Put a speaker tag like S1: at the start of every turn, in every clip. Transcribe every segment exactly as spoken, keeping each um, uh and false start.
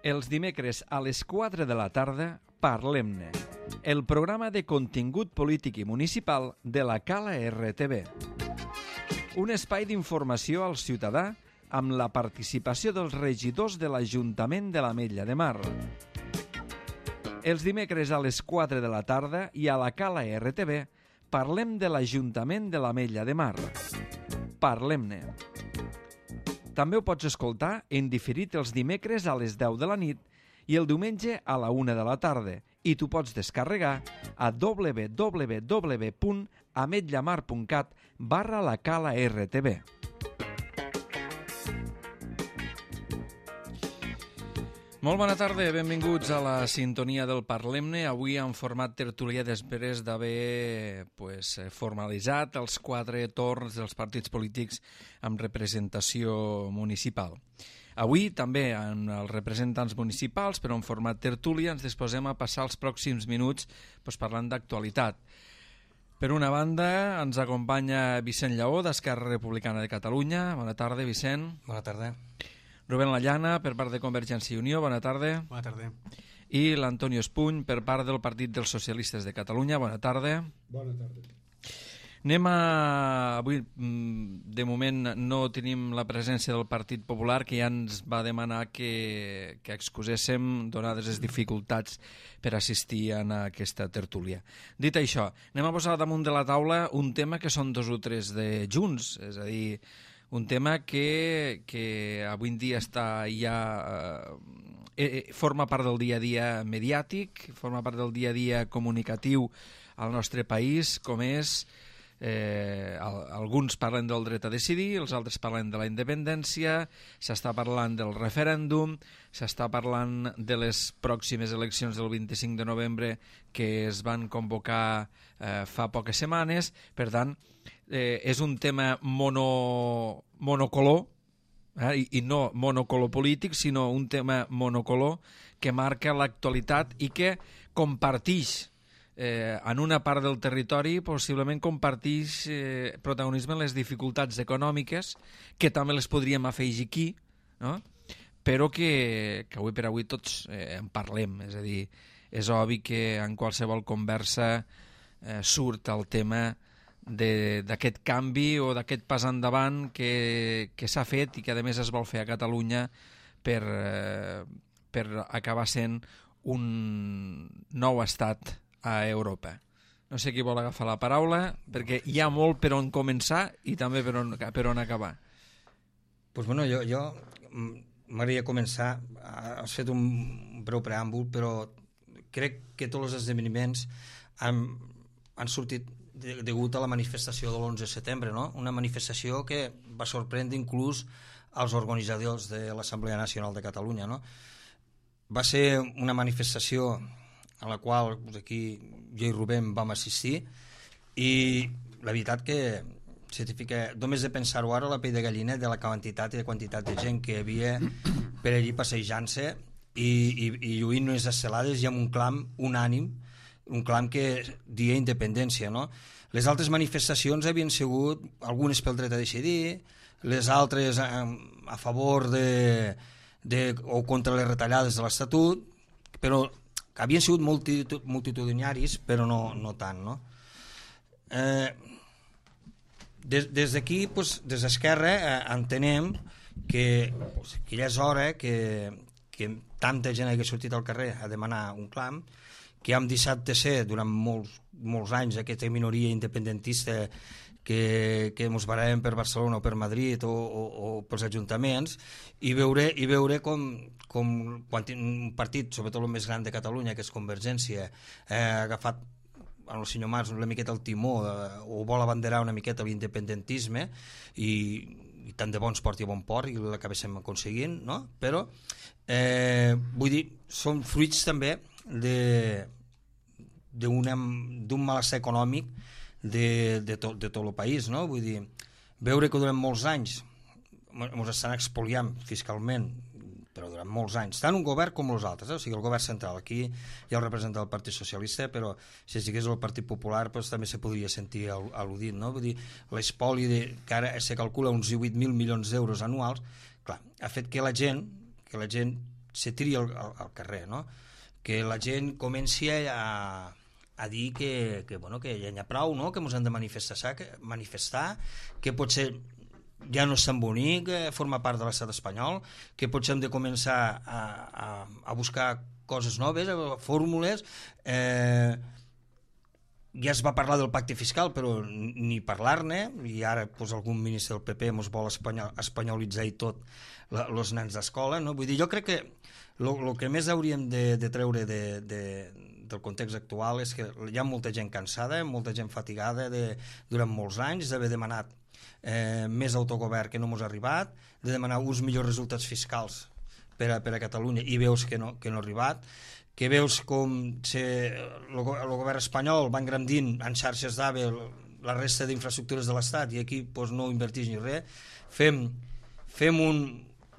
S1: Els dimecres a les quatre de la tarda, Parlem-ne, el programa de contingut polític i municipal de la Cala R T V. Un espai d'informació al ciutadà amb la participació dels regidors de l'Ajuntament de l'Ametlla de Mar. Els dimecres a les quatre de la tarda i a la Cala R T V parlem de l'Ajuntament de l'Ametlla de Mar. Parlem-ne. També ho pots escoltar en diferit els dimecres a les deu de la nit i el diumenge a la una de la tarda, i t'ho pots descarregar a w w w punt ametllamar punt cat barra la Cala R T V. Molt bona tarda, benvinguts a la sintonia del Parlem-ne, avui en format tertulià després d'haver pues, formalitzat els quatre torns dels partits polítics amb representació municipal. Avui també amb els representants municipals, però en format tertúlia, ens disposem a passar els pròxims minuts pues, parlant d'actualitat. Per una banda, ens acompanya Vicent Lleó, d'Esquerra Republicana de Catalunya. Bona tarda, Vicent.
S2: Bona tarda.
S1: Rubén Lallana, per part de Convergència i Unió. Bona tarda.
S2: Bona tarda.
S1: I l'Antonio Espuny, per part del Partit dels Socialistes de Catalunya. Bona tarda.
S3: Bona tarda.
S1: Anem a... Avui, de moment, no tenim la presència del Partit Popular, que ja ens va demanar que, que excuséssim, donades les dificultats per assistir a aquesta tertúlia. Dit això, anem a posar damunt de la taula un tema que són dos o tres de Junts, és a dir, un tema que, que avui en dia està ja... Eh, forma part del dia a dia mediàtic, forma part del dia a dia comunicatiu al nostre país, com és... Eh, alguns parlen del dret a decidir, els altres parlen de la independència, s'està parlant del referèndum, s'està parlant de les pròximes eleccions del vint-i-cinc de novembre que es van convocar eh, fa poques setmanes. Per tant, eh, és un tema mono, monocolor, eh, i, i no monocolor polític, sinó un tema monocolor que marca l'actualitat i que comparteix Eh, en una part del territori possiblement comparteix eh, protagonisme en les dificultats econòmiques, que també les podríem afegir aquí, no? Però que, que avui per avui tots eh, en parlem. És a dir, és obvi que en qualsevol conversa eh, surt el tema d'aquest canvi o d'aquest pas endavant que, que s'ha fet i que a més es vol fer a Catalunya per, eh, per acabar sent un nou estat a Europa. No sé qui vol agafar la paraula, perquè hi ha molt per on començar i també per on, per on acabar.
S2: Pues bueno, jo, jo m'agradaria començar, has fet un breu preàmbul, però crec que tots els esdeveniments han, han sortit de, degut a la manifestació de l'onze de setembre, no? Una manifestació que va sorprendre inclús als organitzadors de l'Assemblea Nacional de Catalunya, no? Va ser una manifestació a la qual doncs, aquí jo i Rubén vam assistir, i la veritat que certifica, només de pensar-ho ara, la pell de gallina de la quantitat i de quantitat de gent que hi havia per allí passejant-se i, i, i lluint unes estelades i amb un clam unànim, un clam que dia independència, no? Les altres manifestacions havien sigut algunes pel dret a decidir, les altres a, a favor de, de, o contra les retallades de l'Estatut, però que havien sigut multitud, multitudinaris, però no, no tant, no? Eh, des des d'aquí, pues, des d'Esquerra, eh, entenem que, pues, que ja és hora que, que tanta gent hagi sortit al carrer a demanar un clam, que hem deixat de ser durant molts, molts anys aquesta minoria independentista que, que ens barallem per Barcelona o per Madrid o, o, o pels ajuntaments, i veure, i veure com, com quan un partit, sobretot el més gran de Catalunya, que és Convergència, eh, ha agafat el senyor Mas una miqueta el timó eh, o vol abanderar una miqueta l'independentisme, i, i tant de bons porti a bon port i l'acabéssim aconseguint, no? Però eh, vull dir, són fruits també de d'un malestar econòmic de, de, to, de tot el país, no? Vull dir, veure que durant molts anys ens estan expoliant fiscalment, però durant molts anys, tant un govern com els altres, eh? O sigui, el govern central, aquí hi ha el representant del Partit Socialista, però si estigués el Partit Popular doncs, també se podria sentir al·ludit, no? Vull dir, l'espoli de, que ara se calcula uns divuit mil milions d'euros anuals, clar, ha fet que la gent, que la gent se tiri al, al, al carrer, no? Que la gent comenci a, a dir que, que, bueno, que ja n'hi ha prou, no? Que ens han de manifestar, que, manifestar, que potser ja no és tan bonic eh, formar part de l'estat espanyol, que potser hem de començar a, a, a buscar coses noves, fórmules. Eh, ja es va parlar del pacte fiscal, però ni parlar-ne, i ara pues, algun ministre del P P ens vol espanyol, espanyolitzar i tot els nens d'escola, no? Vull dir, jo crec que el que més hauríem de, de treure de, de, del context actual és que hi ha molta gent cansada, molta gent fatigada de, durant molts anys d'haver demanat eh, més autogovern que no ens ha arribat, de demanar uns millors resultats fiscals per a, per a Catalunya i veus que no, que no ha arribat, que veus com el govern espanyol va engrandint en xarxes d'AVE la resta d'infraestructures de l'Estat i aquí pues, no invertix ni res. Fem, fem un,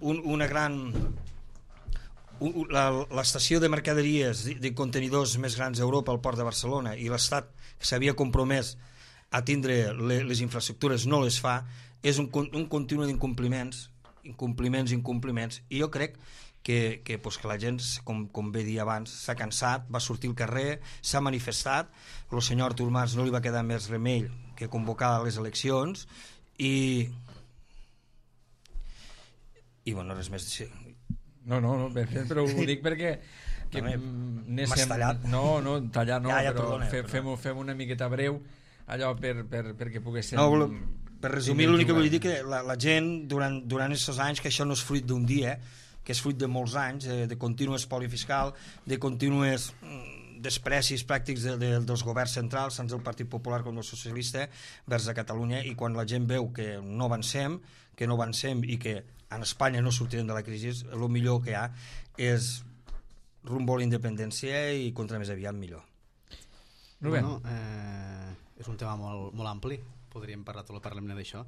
S2: un, una gran... Un, l'estació de mercaderies de, de contenidors més grans d'Europa al port de Barcelona i l'Estat que s'havia compromès a tindre les, les infraestructures no les fa, és un, un continu d'incompliments, incompliments, incompliments, i jo crec que, que, pues, que la gent, com, com bé dir abans, s'ha cansat, va sortir al carrer, s'ha manifestat, el senyor Artur Mas no li va quedar més remei que convocar les eleccions i i bueno, res més.
S1: No, no, no, però ho dic perquè que
S2: m'has tallat.
S1: No, no, tallar no,
S2: ja, ja,
S1: però
S2: perdona,
S1: fem, fem, fem una miqueta breu allò per, per, perquè poguéssim...
S2: No, per resumir, l'únic que vull dir que la, la gent durant, durant aquests anys, que això no és fruit d'un dia, que és fruit de molts anys, de, de continu espoli fiscal, de contínues desprecis pràctics de, de, dels governs centrals, tant del Partit Popular com del Socialista, vers a Catalunya, i quan la gent veu que no avancem, que no avancem i que en Espanya no sortirem de la crisi, el millor que hi ha és rumbo a la independència i contra més aviat millor.
S3: Bueno, eh, és un tema molt, molt ampli, podríem parlar tot el Parlament d'això.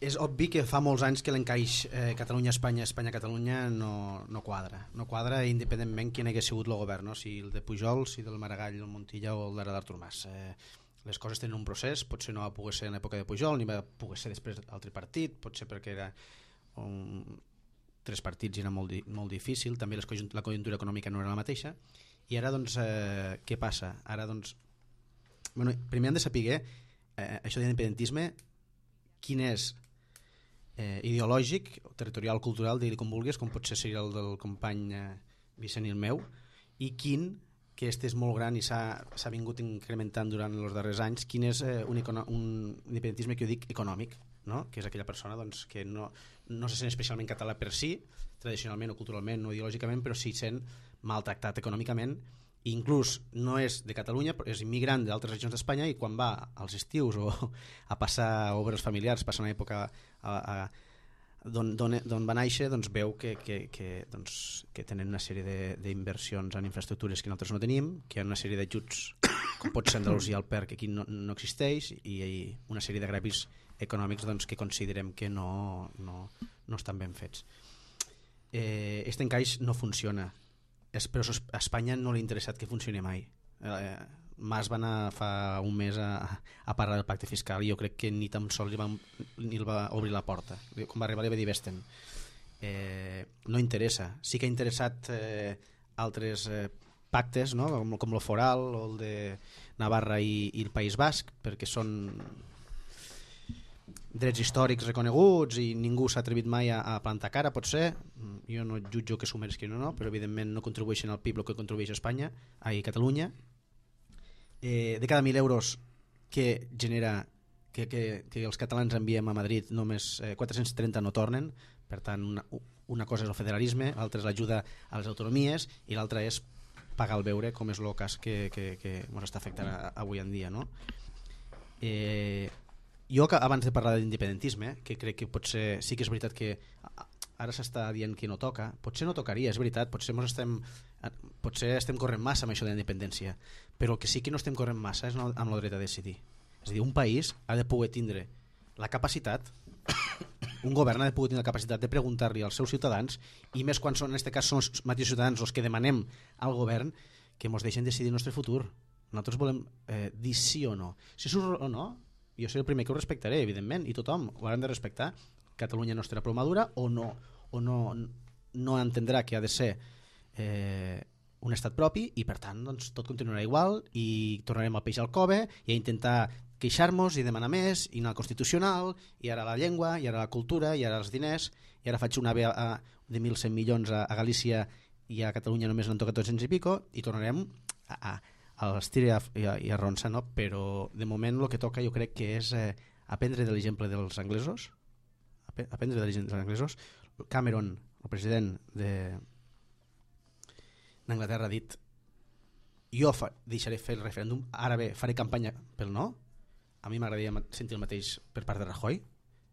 S3: És obvi que fa molts anys que l'encaix eh, Catalunya-Espanya, Espanya-Catalunya no, no quadra. No quadra independentment quin hagués sigut el govern, no? Si el de Pujol, si del Maragall, el Montilla o el d'Artur Mas. Eh, les coses tenen un procés, potser no va poder ser en l'època de Pujol, ni va poder ser després del tripartit, potser perquè era un... tres partits i era molt, di... molt difícil, també les conjunt... la conjuntura econòmica no era la mateixa, i ara doncs eh, què passa? Ara doncs, bueno, primer hem de saber eh, això d'independentisme, quin és eh, ideològic, territorial, cultural, digui com vulguis, com pot ser el del company eh, Vicent i el meu, i quin, que este és molt gran i s'ha vingut incrementant durant els darrers anys, quin és eh, un, econo un independentisme que jo dic econòmic, no? Que és aquella persona doncs, que no, no se sent especialment català per si, tradicionalment o culturalment o ideològicament, però sí sent maltractat econòmicament, i inclús no és de Catalunya, és immigrant d'altres regions d'Espanya, i quan va als estius o a passar obres familiars, passa una època a, a, d'on va néixer, doncs veu que, que, que, doncs, que tenen una sèrie d'inversions en infraestructures que nosaltres no tenim, que hi ha una sèrie d'ajuts com pot ser Andalusia al P E R, que aquí no, no existeix, i, i una sèrie de gravis econòmics doncs, que considerem que no, no, no estan ben fets. Eh, este encaix no funciona, es, però a Espanya no li ha interessat que funcioni mai. Eh, Mas va anar fa un mes a, a parlar del pacte fiscal i jo crec que ni tan sols li va, ni el va obrir la porta. Quan va arribar li va dir vés-te'n. Eh, no interessa. Sí que ha interessat eh, altres eh, pactes, no? com, com el Foral o el de Navarra i, i el País Basc, perquè són drets històrics reconeguts i ningú s'ha atrevit mai a, a plantar cara, pot ser. Jo no jutjo que s'ho mereixin o no, però evidentment no contribueixen al P I B el que contribueix a Espanya, a Catalunya. Eh, de cada mil euros que genera que, que, que els catalans enviem a Madrid només eh, quatre-cents trenta no tornen, per tant una, una cosa és el federalisme, l'altra és l'ajuda a les autonomies i l'altra és pagar el beure, com és el cas que, que, que ens està afectant a, avui en dia, no? Eh, jo abans de parlar d'independentisme, que crec que potser sí que és veritat que ara s'està dient que no toca, potser no tocaria, és veritat, potser estem, potser estem corrent massa amb això de la independència, però el que sí que no estem corrent massa és amb el dret a decidir. És a dir, un país ha de poder tindre la capacitat, un govern ha de poder tindre la capacitat de preguntar-li als seus ciutadans, i més quan són, en aquest cas són els mateixos ciutadans els que demanem al govern que ens deixen decidir el nostre futur. Nosaltres volem eh, dir sí o no. Si surt o no, jo seré el primer que ho respectaré, evidentment, i tothom ho haurem de respectar. Catalunya no estarà prou madura o no, o no, no entendrà que ha de ser eh, un estat propi i per tant doncs, tot continuarà igual i tornarem al peix al cove i a intentar queixar-nos i demanar més i anar al Constitucional i ara la llengua i ara la cultura i ara els diners i ara faig una A B A de mil cent milions a, a Galícia i a Catalunya només n'han tocat dos-cents i pico i tornarem a, a, a l'estir i a, a, a ronçar, no? Però de moment el que toca jo crec que és eh, aprendre de l'exemple dels anglesos, aprendre de l'exemple dels anglesos. Cameron, el president de d'Anglaterra, ha dit jo fa, deixaré fer el referèndum, ara bé faré campanya pel no. A mi m'agradaria sentir el mateix per part de Rajoy,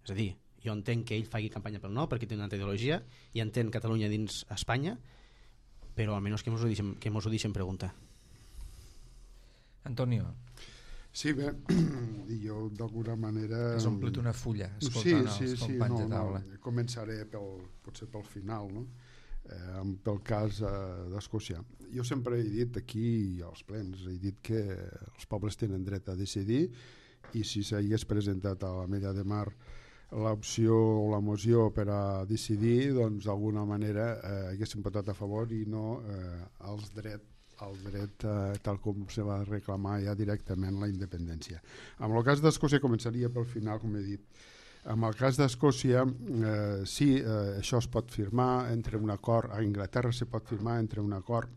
S3: és a dir, jo entenc que ell faci campanya pel no perquè té una altra ideologia i entén Catalunya dins Espanya, però almenys que mos ho deixem, que mos ho deixem preguntar.
S1: Antonio.
S4: Sí, bé, jo d'alguna manera...
S1: Has omplit una fulla escoltant
S4: sí, sí,
S1: els
S4: sí,
S1: companys
S4: no,
S1: de taula.
S4: No, començaré pel, potser pel final, no? Eh, pel cas eh, d'Escòcia. Jo sempre he dit aquí als plens, he dit que els pobles tenen dret a decidir i si s'hagués presentat a la Mella de Mar l'opció o la moció per a decidir, doncs d'alguna manera eh, haguéssim votat a favor i no eh, als drets el dret eh, tal com se va reclamar ja directament la independència. En el cas d'Escòcia començaria pel final, com he dit. En el cas d'Escòcia, eh, sí, eh, això es pot firmar entre un acord, a Anglaterra se pot firmar entre un acord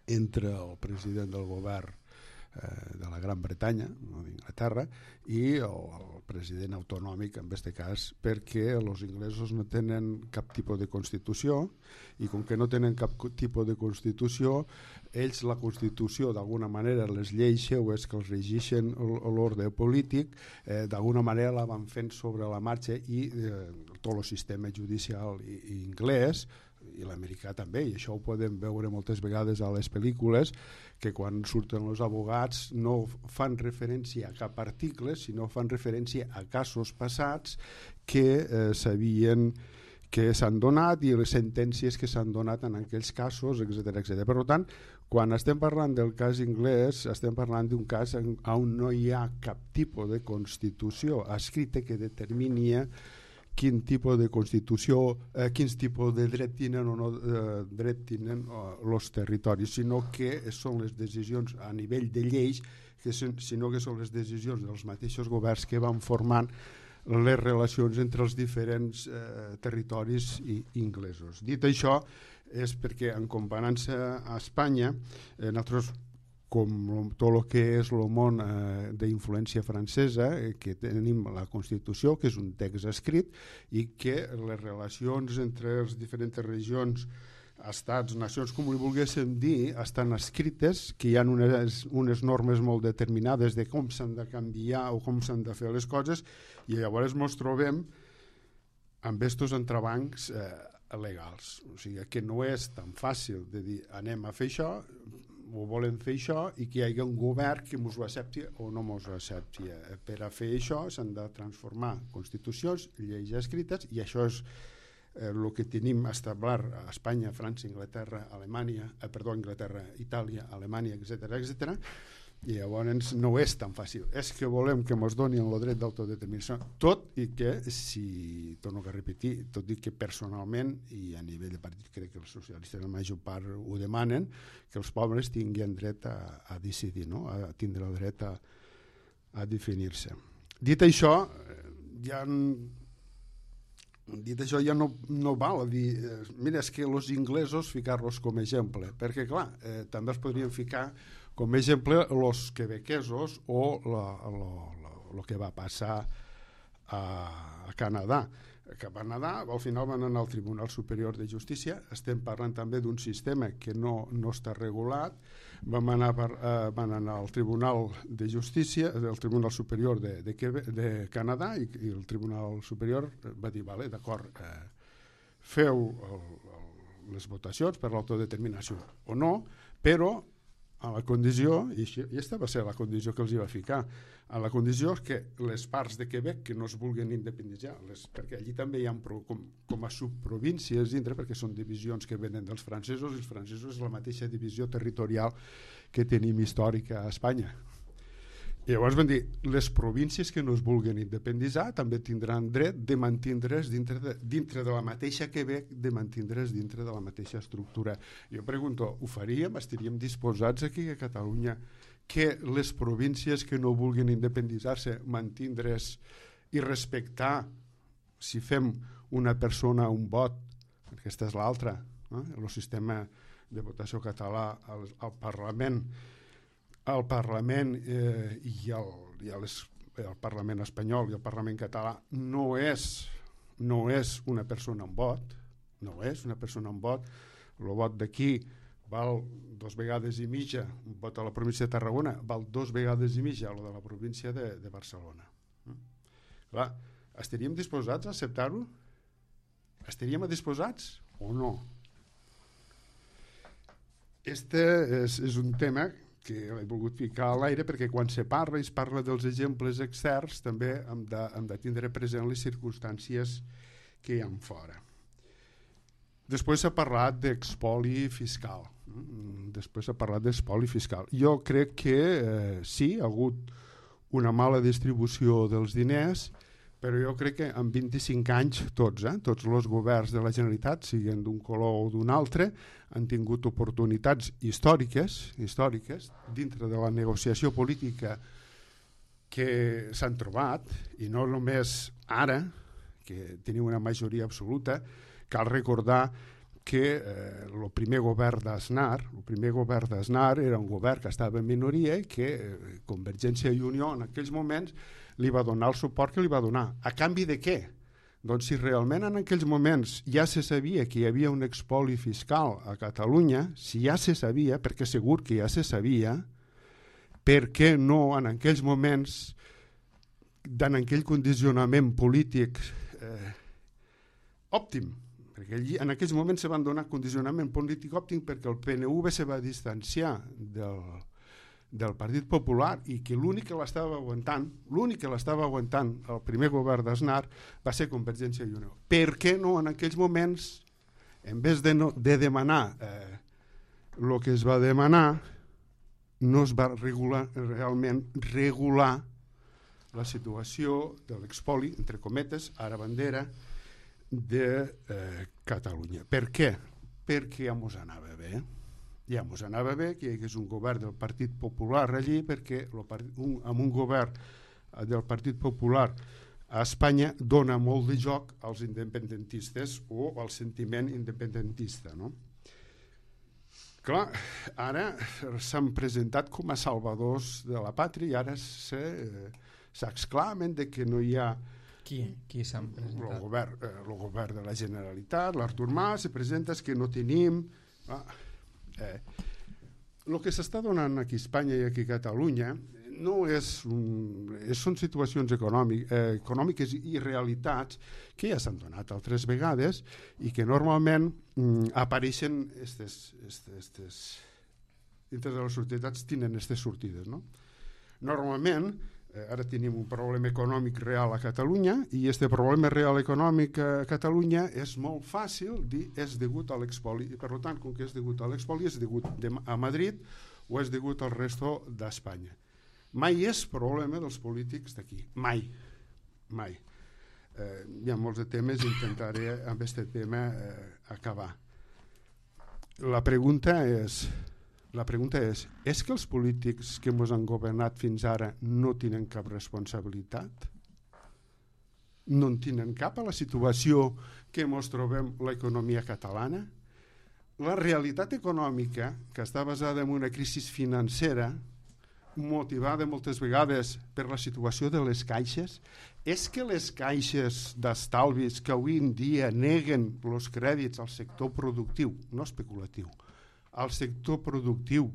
S4: entre el president del govern eh, de la Gran Bretanya, no d'Inglaterra, i el, el president autonòmic, en aquest cas, perquè els inglesos no tenen cap tipus de Constitució i com que no tenen cap tipus de Constitució, ells la Constitució d'alguna manera, les lleis seues que els regeixen l'ordre polític, eh, d'alguna manera la van fent sobre la marxa i eh, tot el sistema judicial i, i anglès i l'americà també, i això ho podem veure moltes vegades a les pel·lícules, que quan surten els abogats no fan referència a cap article, sinó fan referència a casos passats que eh, sabien que s'han donat i les sentències que s'han donat en aquells casos, etcètera, etcètera. Per tant, quan estem parlant del cas anglès, estem parlant d'un cas on no hi ha cap tipus de Constitució escrita que determini quin tipus de Constitució, eh, quins tipus de dret tenen o no eh, dret tenen els eh, territoris, sinó que són les decisions a nivell de lleis, que son, sinó que són les decisions dels mateixos governs que van formant les relacions entre els diferents eh, territoris i inglesos. Dit això, és perquè en comparança a Espanya, eh, nosaltres, com tot el que és el món eh, d'influència francesa, eh, que tenim la Constitució, que és un text escrit, i que les relacions entre les diferents regions, estats, nacions, com li volguéssim dir, estan escrites, que hi ha unes, unes normes molt determinades de com s'han de canviar o com s'han de fer les coses, i llavors ens trobem amb estos entrebancs eh, legals. O sigui, que no és tan fàcil de dir anem a fer això, ho volem fer això, i que hi hagi un govern que ens ho accepti o no ens ho accepti. Per a fer això s'han de transformar constitucions, lleis escrites, i això és el que tenim establert a Espanya, França, Anglaterra, Alemanya, eh, perdó, Anglaterra, Itàlia, Alemanya, etcètera, etcètera. I llavors no és tan fàcil. És que volem que ens donin el dret d'autodeterminació, tot i que, si torno a repetir, tot i que personalment i a nivell de partit crec que els socialistes la major part ho demanen, que els pobles tinguin dret a, a decidir, no? A tindre el dret a, a definir-se. Dit això, ja dit això ja no, no val a dir, eh, mira, és que els inglesos ficar-los com a exemple, perquè clar, eh, també els podríem ficar com a exemple els quebequesos o el que va passar a, a Canadà. Que a Canadà al final van anar al Tribunal Superior de Justícia, estem parlant també d'un sistema que no, no està regulat, van anar, per, eh, van anar al Tribunal de Justícia, del Tribunal Superior de, de, Quebec, de Canadà, i, i el Tribunal Superior va dir, vale, d'acord, eh, feu el, el, les votacions per l'autodeterminació o no, però a la condició, i aquesta va ser la condició que els hi va ficar, a la condició que les parts de Quebec que no es vulguin independitzar, les, perquè allí també hi ha pro, com, com a subprovíncies dintre, perquè són divisions que venen dels francesos, i els francesos és la mateixa divisió territorial que tenim històrica a Espanya. I llavors van dir, les províncies que no es vulguin independitzar també tindran dret de mantindre's dintre de, dintre de la mateixa Quebec, de mantindre's dintre de la mateixa estructura. Jo pregunto, ho faríem? Estaríem disposats aquí a Catalunya que les províncies que no vulguin independitzar-se mantindre's i respectar si fem una persona un vot, perquè aquesta és l'altra, no? El sistema de votació català al, al Parlament el Parlament eh, i, el, i les, el Parlament espanyol i el Parlament català no és, no és una persona amb vot, no és una persona amb vot. El vot d'aquí val dos vegades i mitja, un vot a la província de Tarragona val dos vegades i mitja el de la província de, de Barcelona. Mm? Clar, estaríem disposats a acceptar-ho? Estaríem disposats o no? Este és, és un tema que l'he volgut ficar a l'aire perquè quan se parla i es parla dels exemples externs també hem de, hem de tindre present les circumstàncies que hi ha fora. Després s'ha parlat d'expoli fiscal. Després s'ha parlat d'expoli fiscal. Jo crec que eh, sí, ha hagut una mala distribució dels diners, però jo crec que en vint-i-cinc anys tots, eh, tots els governs de la Generalitat, siguin d'un color o d'un altre, han tingut oportunitats històriques, històriques dintre de la negociació política que s'han trobat, i no només ara, que teniu una majoria absoluta. Cal recordar que eh, el primer govern d'Aznar, el primer govern d'Aznar era un govern que estava en minoria i que eh, Convergència i Unió en aquells moments li va donar el suport que li va donar. A canvi de què? Doncs si realment en aquells moments ja se sabia que hi havia un expoli fiscal a Catalunya, si ja se sabia, perquè segur que ja se sabia, per què no en aquells moments, en aquell condicionament polític eh, òptim, perquè allí, en aquells moments se van donar condicionament polític òptim perquè el P N V se va distanciar del del Partit Popular i que l'únic que l'estava aguantant, l'únic que l'estava aguantant el primer govern d'Aznar va ser Convergència i Unió. Per què no en aquells moments, en vez de, no, de demanar eh, el que es va demanar, no es va regular, realment regular la situació de l'expoli, entre cometes, ara bandera, de eh, Catalunya. Per què? Perquè ja mos anava bé. Ja ens anava bé que hi hagués un govern del Partit Popular allí, perquè lo, un, amb un govern del Partit Popular a Espanya dona molt de joc als independentistes o al sentiment independentista, no? Clar, ara s'han presentat com a salvadors de la pàtria i ara s'exclamen de que no hi ha...
S1: Qui, qui s'han presentat?
S4: El govern, eh, el govern de la Generalitat, l'Artur Mas, se presenta que no tenim... Ah, Eh, el que s'està donant aquí a Espanya i aquí a Catalunya no és un, són situacions econòmic, eh, econòmiques i realitats que ja s'han donat altres vegades i que normalment mm, apareixen estes, estes, estes, dintre de les societats tenen aquestes sortides, no? Normalment eh, ara tenim un problema econòmic real a Catalunya i este problema real econòmic a Catalunya és molt fàcil dir és degut a l'expoli i per tant com que és degut a l'expoli és degut a Madrid o és degut al resto d'Espanya. Mai és problema dels polítics d'aquí, mai, mai. Eh, hi ha molts de temes, intentaré amb aquest tema eh, acabar. La pregunta és... La pregunta és, és que els polítics que ens han governat fins ara no tenen cap responsabilitat? No en tenen cap a la situació que ens trobem l'economia catalana? La realitat econòmica, que està basada en una crisi financera, motivada moltes vegades per la situació de les caixes, és que les caixes d'estalvis que avui en dia neguen els crèdits al sector productiu, no especulatiu, al sector productiu,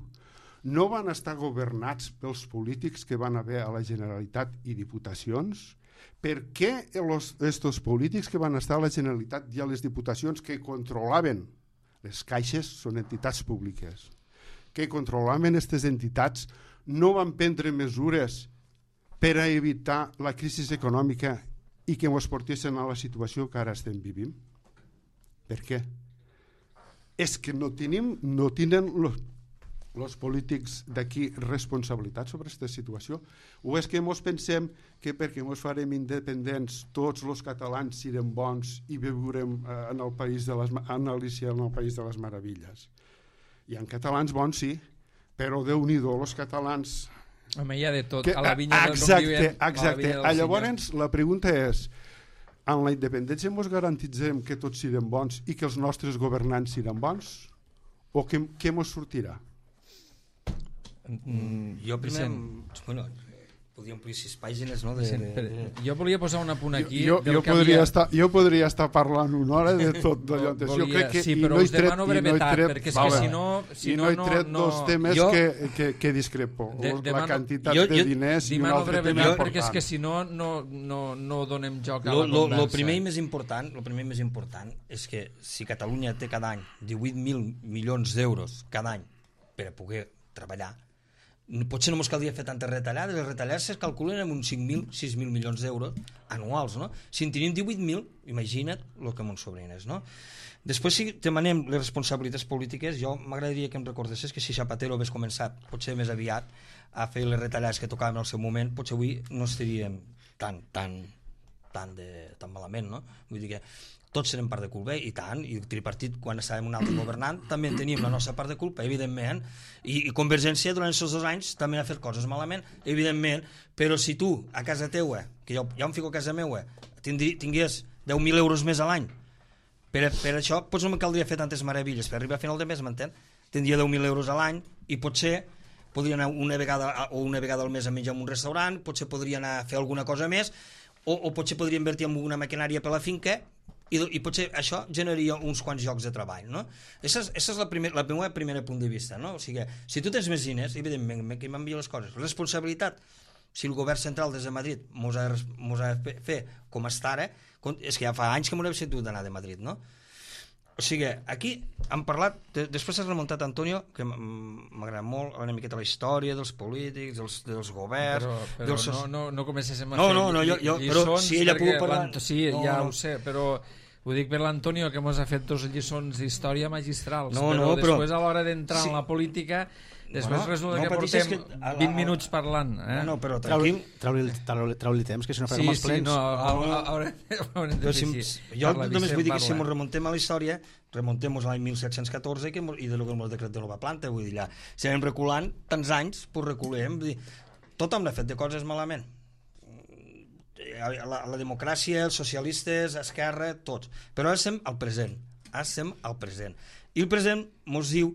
S4: no van estar governats pels polítics que van haver a la Generalitat i diputacions? Per què aquests polítics que van estar a la Generalitat i a les diputacions que controlaven les caixes són entitats públiques, que controlaven aquestes entitats no van prendre mesures per a evitar la crisi econòmica i que ens portessin a la situació que ara estem vivint? Per què? És que no tenim, no tenen els polítics d'aquí responsabilitat sobre aquesta situació? O és que ens pensem que perquè ens farem independents tots els catalans serem bons i viurem eh, en el país de les, en Alícia, en el país de les meravilles? Hi ha catalans bons, sí, però Déu-n'hi-do, els catalans...
S1: Home, hi ha de tot,
S4: que,
S1: a la vinya del
S4: exacte,
S1: convivent,
S4: exacte.
S1: A la
S4: llavors, la pregunta és, en la independència ens garantitzem que tots siguem bons i que els nostres governants siguin bons? O què, què ens sortirà?
S2: Mm, jo primer... Bueno, podríem omplir sis pàgines, no? De, de, de...
S1: Jo volia posar un apunt aquí...
S4: Jo, jo, jo, podria havia... estar, jo podria estar parlant una hora de tot d'allò.
S1: Volia...
S4: Jo crec que,
S1: sí, però
S4: no
S1: us demano brevetat,
S4: no
S1: perquè és
S4: vale.
S1: que si no... Si
S4: I
S1: no,
S4: no he tret
S1: no,
S4: dos temes
S2: jo...
S4: que, que, que discrepo.
S1: De,
S4: la
S1: demano...
S4: quantitat
S2: jo,
S4: de
S2: jo...
S4: diners i un
S1: demano
S4: altre
S1: brevetat,
S4: tema
S1: perquè és
S4: important.
S1: que si no, no, no, no donem joc a
S2: lo,
S1: la
S2: lo,
S1: conversa.
S2: Lo primer i més important, lo primer i més important és que si Catalunya té cada any divuit mil milions d'euros cada any per a poder treballar, potser no ens caldria fer tantes retallades. Les retallades es calculen en uns cinc mil, sis mil milions d'euros anuals, no? Si en tenim divuit mil, imagina't el que m'ho sobrines, no? Després, si demanem les responsabilitats polítiques, jo m'agradaria que em recordessis que si Zapatero hagués començat, potser més aviat, a fer les retallades que tocaven al seu moment, potser avui no estaríem tan, tan, tan, de, tan malament, no? Vull dir que tots serem part de culpa, i tant, i el tripartit, quan estàvem un altre governant, també teníem la nostra part de culpa, evidentment, i, i Convergència durant aquests dos anys també ha fet coses malament, evidentment, però si tu, a casa teua, que jo ja em fico a casa meua, tindri, tingués deu mil euros més a l'any, per, per això, potser no me caldria fer tantes meravilles, per arribar a final de mes, m'entén? Tindria deu mil euros a l'any, i potser podria anar una vegada o una vegada al mes a menjar en un restaurant, potser podria anar a fer alguna cosa més, o, o potser podria invertir en una maquinària per la finca, I, i potser això generaria uns quants llocs de treball, no? Aquesta és, és la, primer, la meva primera punt de vista, no? O sigui, si tu tens més diners, evidentment, que m'envia les coses. Responsabilitat, si el govern central des de Madrid mos ha, mos ha de fer com està ara, és que ja fa anys que m'ho he sentit d'anar de Madrid, no? O sigui, aquí hem parlat, de, després has remuntat Antonio, que m'agrada molt, una miqueta la història dels polítics, dels, dels governs...
S1: Però, però
S2: dels...
S1: no, no, no comencéssim a
S2: no,
S1: fer
S2: no, no, jo, jo, però si ella pugui parlar...
S1: Sí,
S2: no,
S1: ja
S2: no.
S1: ho sé, però ho dic per l'Antonio, que ens ha fet dos lliçons d'història magistrals,
S2: no,
S1: però
S2: no,
S1: després
S2: però...
S1: a l'hora d'entrar sí. en la política... Després no, resulta no, que portem que... vint minuts parlant. Eh?
S2: No, no, però tranquil.
S3: Trau-li trau trau temps, que si no farem
S1: sí,
S3: els plens...
S1: Sí, no, haurem de fer així.
S2: Jo només vull dir que si ens remontem a la història, remontem-nos a l'any mil set-cents catorze que, i de lo que el decret de nova planta, vull dir, ja, si anem reculant tants anys, pues reculem. Vull dir, tothom l'ha fet de coses malament. La, la democràcia, els socialistes, Esquerra, tots. Però ara estem al present. Ara estem al present. I el present ens diu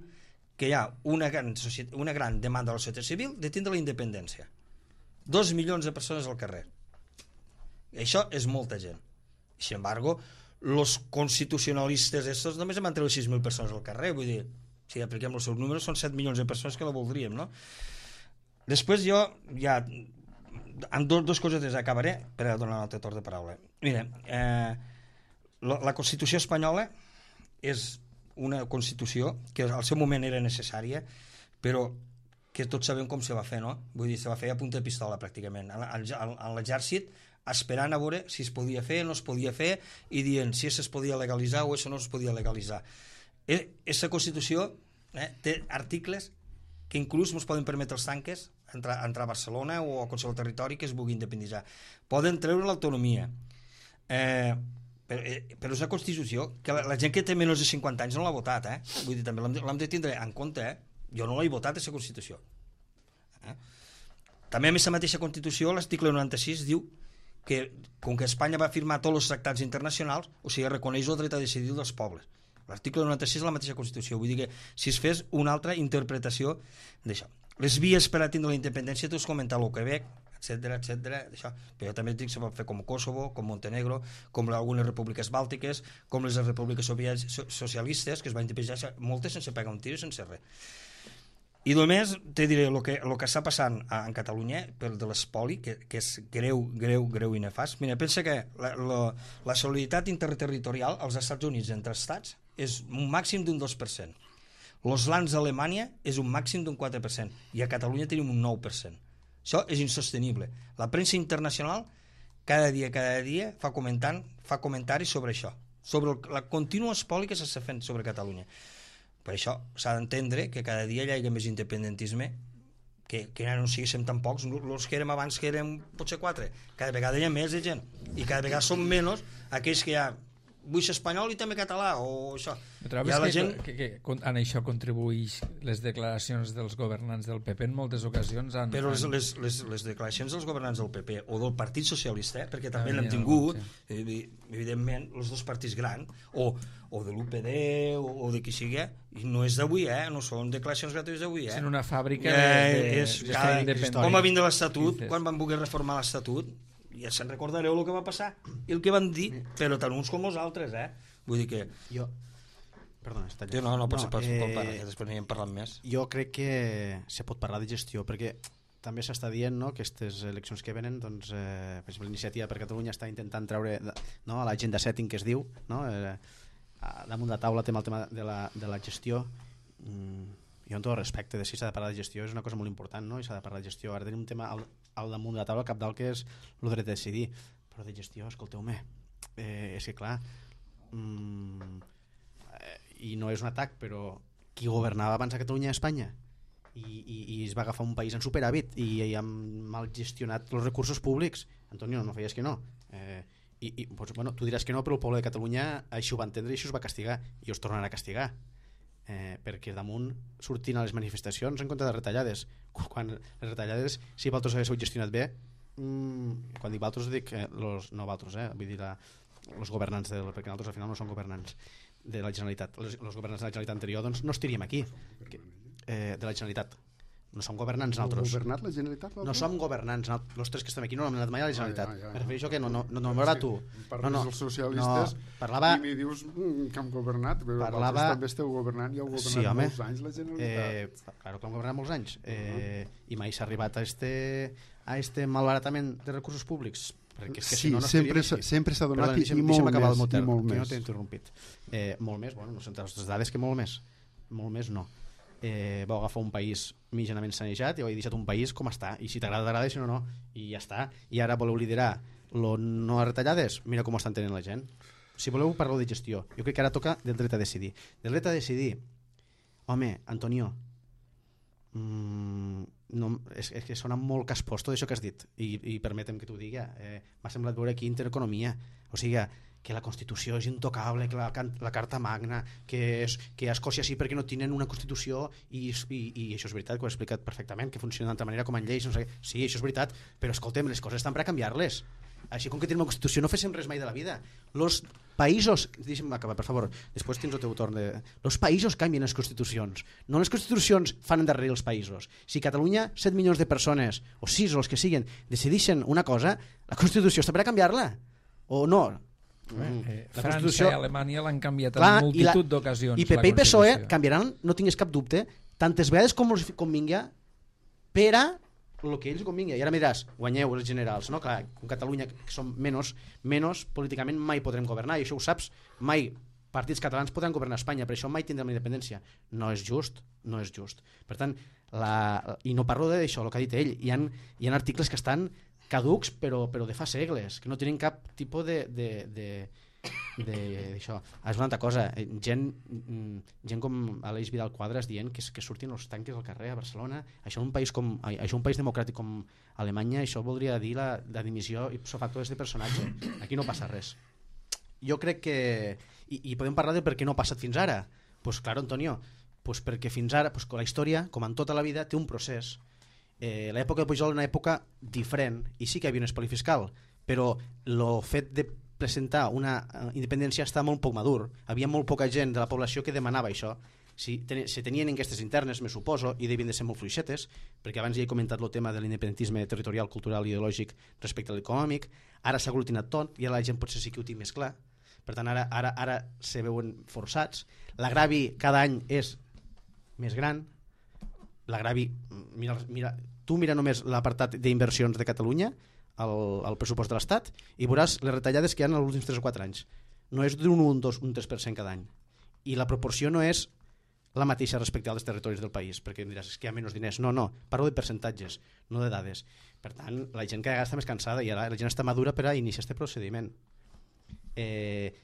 S2: que hi ha una gran, una gran demanda de la societat civil de tindre la independència. Dos milions de persones al carrer. I això és molta gent. Sin embargo, los constitucionalistes estos només han treure sis mil persones al carrer. Vull dir, si apliquem els seus números, són set milions de persones que la voldríem, no? Després jo ja... amb dos, dos coses des acabaré per a donar un altre torn de paraula. Mira, eh, la, la Constitució espanyola és una Constitució que al seu moment era necessària, però que tots sabem com se va fer, no? Vull dir, se va fer a punta de pistola, pràcticament. A l'exèrcit, esperant a veure si es podia fer, no es podia fer, i dient si es podia legalitzar o això no es podia legalitzar. Aquesta Constitució eh, té articles que inclús ens poden permetre els tanques entrar, entrar a Barcelona o a qualsevol territori que es vulgui independitzar. Poden treure l'autonomia. Eh... Però, però és una Constitució que la, la gent que té menys de cinquanta anys no l'ha votat, eh? Vull dir, també l'hem de tindre en compte, eh? Jo no l'he votat, aquesta Constitució. Eh? També a aquesta mateixa Constitució, l'article noranta-sis diu que, com que Espanya va firmar tots els tractats internacionals, o sigui, reconeix el dret a decidir dels pobles. L'article noranta-sis és la mateixa Constitució, vull dir que si es fes una altra interpretació d'això. Les vies per a tindre la independència, tu has comentat el Quebec, etcètera, etcètera, això. Però jo també dic que se pot fer com Kosovo, com Montenegro, com algunes repúbliques bàltiques, com les repúbliques socialistes, que es van independitzar moltes sense pegar un tir i sense res. I només te diré el que, el que està passant a, en Catalunya per de l'espoli, que, que és greu, greu, greu i nefast. Mira, pensa que la, la, la solidaritat interterritorial als Estats Units entre estats és un màxim d'un dos per cent. Los lands d'Alemanya és un màxim d'un quatre per cent i a Catalunya tenim un nou per cent. Això és insostenible. La premsa internacional cada dia, cada dia fa, comentant, fa comentaris sobre això, sobre el, la contínua espoli que s'està fent sobre Catalunya. Per això s'ha d'entendre que cada dia hi hagi més independentisme, que, que ara no siguéssim tan pocs, els que érem abans que érem potser quatre, cada vegada hi ha més de gent, i cada vegada són menys aquells que hi ha vull ser espanyol i també català o això.
S1: Trobes que, gent... que, que, que en això contribueix les declaracions dels governants del P P en moltes ocasions? Han,
S2: Però les,
S1: han...
S2: les, les, les declaracions dels governants del P P o del Partit Socialista, eh, perquè també
S1: ah,
S2: n'hem
S1: ja,
S2: tingut,
S1: sí.
S2: evidentment, els dos partits grans, o, o de l'U P D o, o de qui sigui, i no és d'avui, eh? No són declaracions gratuïtes d'avui. Eh?
S1: És una fàbrica
S2: eh,
S1: de, de,
S2: és,
S1: de
S2: cada,
S1: independent.
S2: Com va vindre l'Estatut, quan van voler reformar l'Estatut, ja se'n recordareu el que va passar i el que van dir, però tant uns com els altres, eh? Vull dir que...
S3: Jo... Perdona, està
S2: allà. No, no, pot ser per
S3: eh,
S2: culpa, que després n'hi hem parlat més.
S3: Jo crec que se pot parlar de gestió, perquè també s'està dient, no, que aquestes eleccions que venen, doncs, eh, per exemple, l'Iniciativa per Catalunya està intentant treure, no, a l'agenda setting que es diu, no, eh, damunt la taula tema el tema de la, de la gestió. Mm, jo amb tot el respecte de si s'ha de parlar de gestió és una cosa molt important, no? I s'ha de parlar de gestió. Ara tenim un tema al, al damunt de la taula, al capdalt, que és el dret a decidir, però de gestió, escolteu-me, eh, és que clar, mm, eh, i no és un atac, però qui governava abans a Catalunya i a Espanya i, i, i es va agafar un país en superàvit i, i han mal gestionat els recursos públics. Antonio, no feies que no, eh, i, i pues, bueno, tu diràs que no, però el poble de Catalunya això ho va entendre i això es va castigar i us tornarà a castigar, eh, perquè damunt sortint a les manifestacions en contra de retallades, quan les retallades, si vosaltres haguéssiu gestionat bé, mmm, quan dic vosaltres dic eh, los, no vosaltres, eh, vull dir la, els governants, del, perquè nosaltres al final no som governants de la Generalitat, els, els governants de la Generalitat anterior doncs no estiríem aquí, que, eh, de la Generalitat no som governants nosaltres.
S4: Governat la Generalitat?
S3: No som governants, els tres que estem aquí no hem anat mai a la Generalitat.
S4: Ah, ja, ja, ja.
S3: Me refereixo que no, no, no, no m'agrada tu.
S4: Parles
S3: no, no,
S4: dels socialistes
S3: no, parlava...
S4: i mi dius mm, que hem governat, però
S3: parlava...
S4: també esteu governant i heu governat
S3: sí, home.
S4: molts anys la Generalitat.
S3: Eh, claro que hem governat molts anys. Eh, uh-huh. I mai s'ha arribat a este, a este malbaratament de recursos públics. Perquè és que
S4: sí,
S3: si no, no
S4: sempre, sempre s'ha donat. Perdona, i, i molt més,
S3: el
S4: i molt
S3: que
S4: més.
S3: no t'he interrompit. Eh, molt més, bueno, no són les dades que molt més. Molt més no. Eh, vau agafar un país mitjanament sanejat i heu deixat un país com està, i si t'agrada t'agrada i si no no, i ja està, i ara voleu liderar lo no a retallades, mira com ho estan tenint la gent. Si voleu parlar de gestió, jo crec que ara toca del dret a decidir. Del dret a decidir, home, Antonio, mmm, no, és, és que sona molt caspós tot això que has dit, i, i permetem que t'ho digui, eh, m'ha semblat veure aquí intereconomia, o sigui, que la Constitució és intocable, que la, la Carta Magna, que, és, que a Escòcia sí perquè no tenen una Constitució i, i, i això és veritat, que ho he explicat perfectament, que funciona d'altra manera com en lleis, no sé, sí, això és veritat, però escoltem, les coses estan per a canviar-les. Així com que tenim una Constitució no féssim res mai de la vida. Los països, deixa'm acabar per favor, després tens el teu torn de... Los països canvien les Constitucions, no les Constitucions fan endarrerir els països. Si Catalunya, set milions de persones, o sis o els que siguin, decideixen una cosa, la Constitució està per a canviar-la, o no?
S1: Mm. Eh, França i Alemanya l'han canviat en
S3: clar,
S1: multitud d'ocasions.
S3: I P P i P S O E canviaran, no tinguis cap dubte, tantes vegades com els convingui per a el que ells convingui. I ara miràs, guanyeu els generals, no? Clar, en Catalunya, que som menys, menys políticament mai podrem governar, i això ho saps, mai partits catalans podran governar Espanya, per això mai tindrem la independència. No és just, no és just. Per tant, la... i no parlo d'això, el que ha dit ell, hi ha, hi ha articles que estan caducs però, però de fa segles, que no tenen cap tipus de, de, de, de, d'això. És una altra cosa, gent, gent com Aleix Vidal Quadras dient que, que surtin els tanques al carrer a Barcelona, això un país, com, això un país democràtic com Alemanya, això voldria dir la, la dimissió ipso facto d'aquest personatge. Aquí no passa res. Jo crec que, i, i podem parlar de per què no ha passat fins ara. Pues claro, Antonio, pues perquè fins ara, pues, la història, com en tota la vida, té un procés. Eh, l'època de Pujol era una època diferent i sí que hi havia un espoli fiscal, però el fet de presentar una independència està molt poc madur. Havia molt poca gent de la població que demanava això. Si ten se tenien enquestes internes, me suposo, i devien de ser molt fluixetes, perquè abans ja he comentat el tema de l'independentisme territorial, cultural i ideològic respecte a l'econòmic. Ara s'ha aglutinat tot i ara la gent potser sí que ho té més clar. Per tant, ara, ara, ara se veuen forçats. L'agravi cada any és més gran. L'agravi, mira, mira, tu mira només l'apartat d'inversions de Catalunya, el, el pressupost de l'Estat, i veuràs les retallades que hi ha en els últims tres o quatre anys. No és d'un un, dos, un tres per cent cada any. I la proporció no és la mateixa respecte als territoris del país, perquè em diràs, és que hi ha menys diners. No, no, parlo de percentatges, no de dades. Per tant, la gent cada vegada està més cansada i ara la gent està madura per a iniciar aquest procediment. Eh,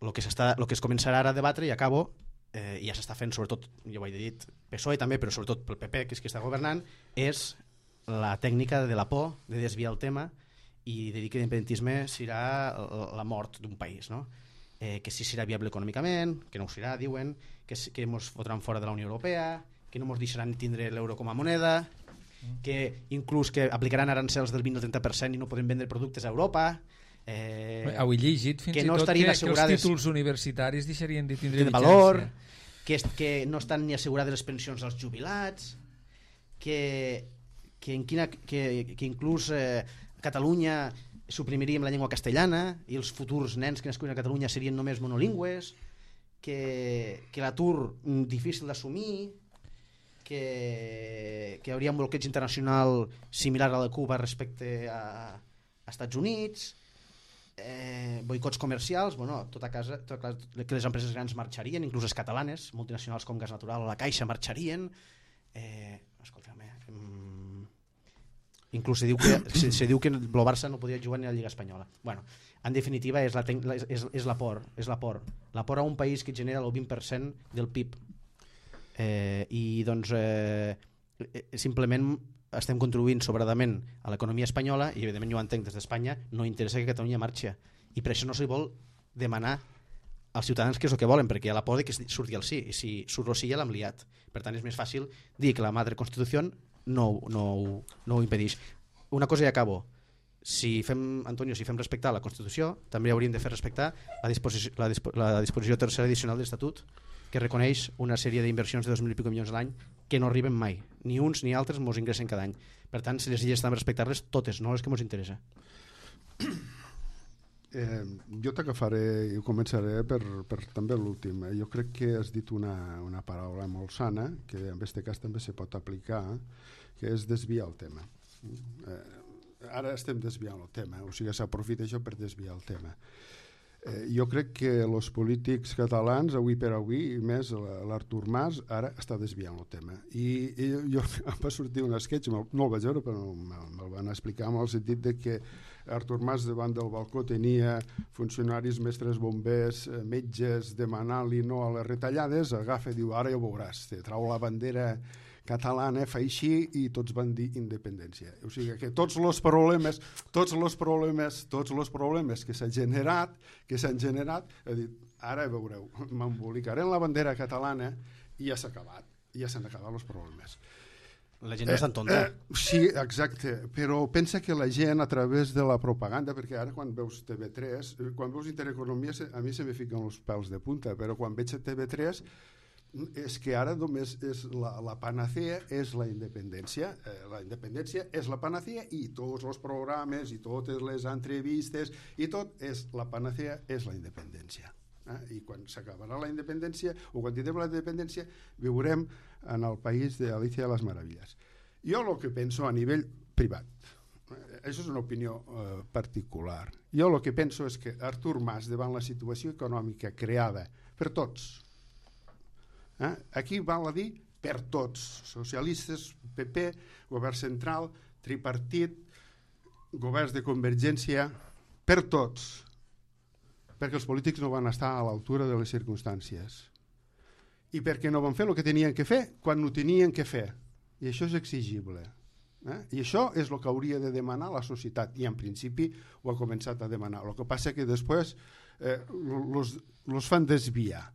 S3: el que, s'està, el que es començarà ara a debatre, i acabo, eh, i ja s'està fent, sobretot, ja ho he dit, P S O E també, però sobretot pel P P, que és qui està governant, és la tècnica de la por, de desviar el tema i de dir que l'independentisme serà la mort d'un país, no? Eh, que si serà viable econòmicament, que no ho serà, diuen, que, que ens fotran fora de la Unió Europea, que no ens deixaran tindre l'euro com a moneda, que inclús que aplicaran arancels del vint al trenta per cent i no podem vendre productes a Europa. Eh,
S1: Heu llegit fins
S3: que
S1: i
S3: no
S1: tot que, que els títols universitaris deixarien de tindre
S3: de valor, que, que no estan ni assegurades les pensions als jubilats, que, que, en quina, que, que inclús eh, Catalunya suprimiríem la llengua castellana i els futurs nens que nascuin a Catalunya serien només monolingües, que, que l'atur difícil d'assumir, que, que hi hauria un bloqueig internacional similar a la Cuba respecte a, a Estats Units, eh, boicots comercials, bueno, tot a casa, tot a casa, que les empreses grans marxarien, inclús les catalanes, multinacionals com Gas Natural o la Caixa marxarien. Eh, escolta'm, eh, mm, inclús se diu que se, se diu que el Barça no podia jugar ni a la Lliga Espanyola. Bueno, en definitiva és la, és, és la por, és la por, la por a un país que genera el vint per cent del P I B. Eh, i doncs eh, simplement estem contribuint sobradament a l'economia espanyola i evidentment jo ho entenc des d'Espanya, no interessa que Catalunya marxi i per això no se vol demanar als ciutadans què és el que volen, perquè hi ha la por de que surti el sí, i si surt el sí ja l'hem liat. Per tant és més fàcil dir que la madre Constitució no, no, no ho impedeix. Una cosa i acabo, si fem, Antonio, si fem respectar la Constitució també hauríem de fer respectar la disposició, la dispo, la disposició tercera addicional de l'Estatut, que reconeix una sèrie d'inversions de dos mil i pico milions l'any que no arriben mai, ni uns ni altres mos ingressen cada any. Per tant, si les illes estan a respectar-les totes, no les que mos interessa.
S4: Eh, jo t'agafaré i començaré per, per també l'últim. Eh? Jo crec que has dit una, una paraula molt sana, que en aquest cas també se pot aplicar, que és desviar el tema. Eh, ara estem desviant el tema, o sigui, s'aprofita això per desviar el tema. Eh, jo crec que els polítics catalans, avui per avui, i més l'Artur Mas, ara està desviant el tema. I, i jo em va sortir un sketch, no el vaig veure, però me'l me van explicar en el sentit de que Artur Mas davant del balcó tenia funcionaris, mestres bombers, metges, demanant-li no a les retallades, agafa i diu, ara ja ho veuràs, te trau la bandera catalana, fa així i tots van dir independència. O sigui que tots els problemes, tots els problemes, tots els problemes que s'han generat, que s'han generat, he dit, ara veureu, m'embolicaré en la bandera catalana i ja s'ha acabat, ja s'han acabat els problemes.
S3: La gent no és tan tonta.
S4: Eh, eh, sí, exacte, però pensa que la gent a través de la propaganda, perquè ara quan veus T V tres, quan veus Intereconomia, a mi se me fiquen els pèls de punta, però quan veig a T V tres és que ara només és la, la panacea és la independència. Eh, la independència és la panacea i tots els programes i totes les entrevistes i tot és la panacea és la independència. Eh? I quan s'acabarà la independència o quan tindrem la independència viurem en el país d'Alicia de les Meravilles. Jo el que penso a nivell privat, eh, això és una opinió eh, particular, jo el que penso és que Artur Mas davant la situació econòmica creada per tots, Eh? aquí val a dir per tots, socialistes, P P, govern central, tripartit, governs de Convergència, per tots, perquè els polítics no van estar a l'altura de les circumstàncies i perquè no van fer el que tenien que fer quan no tenien que fer, i això és exigible. Eh? I això és el que hauria de demanar la societat i en principi ho ha començat a demanar. El que passa que després eh, los, los fan desviar.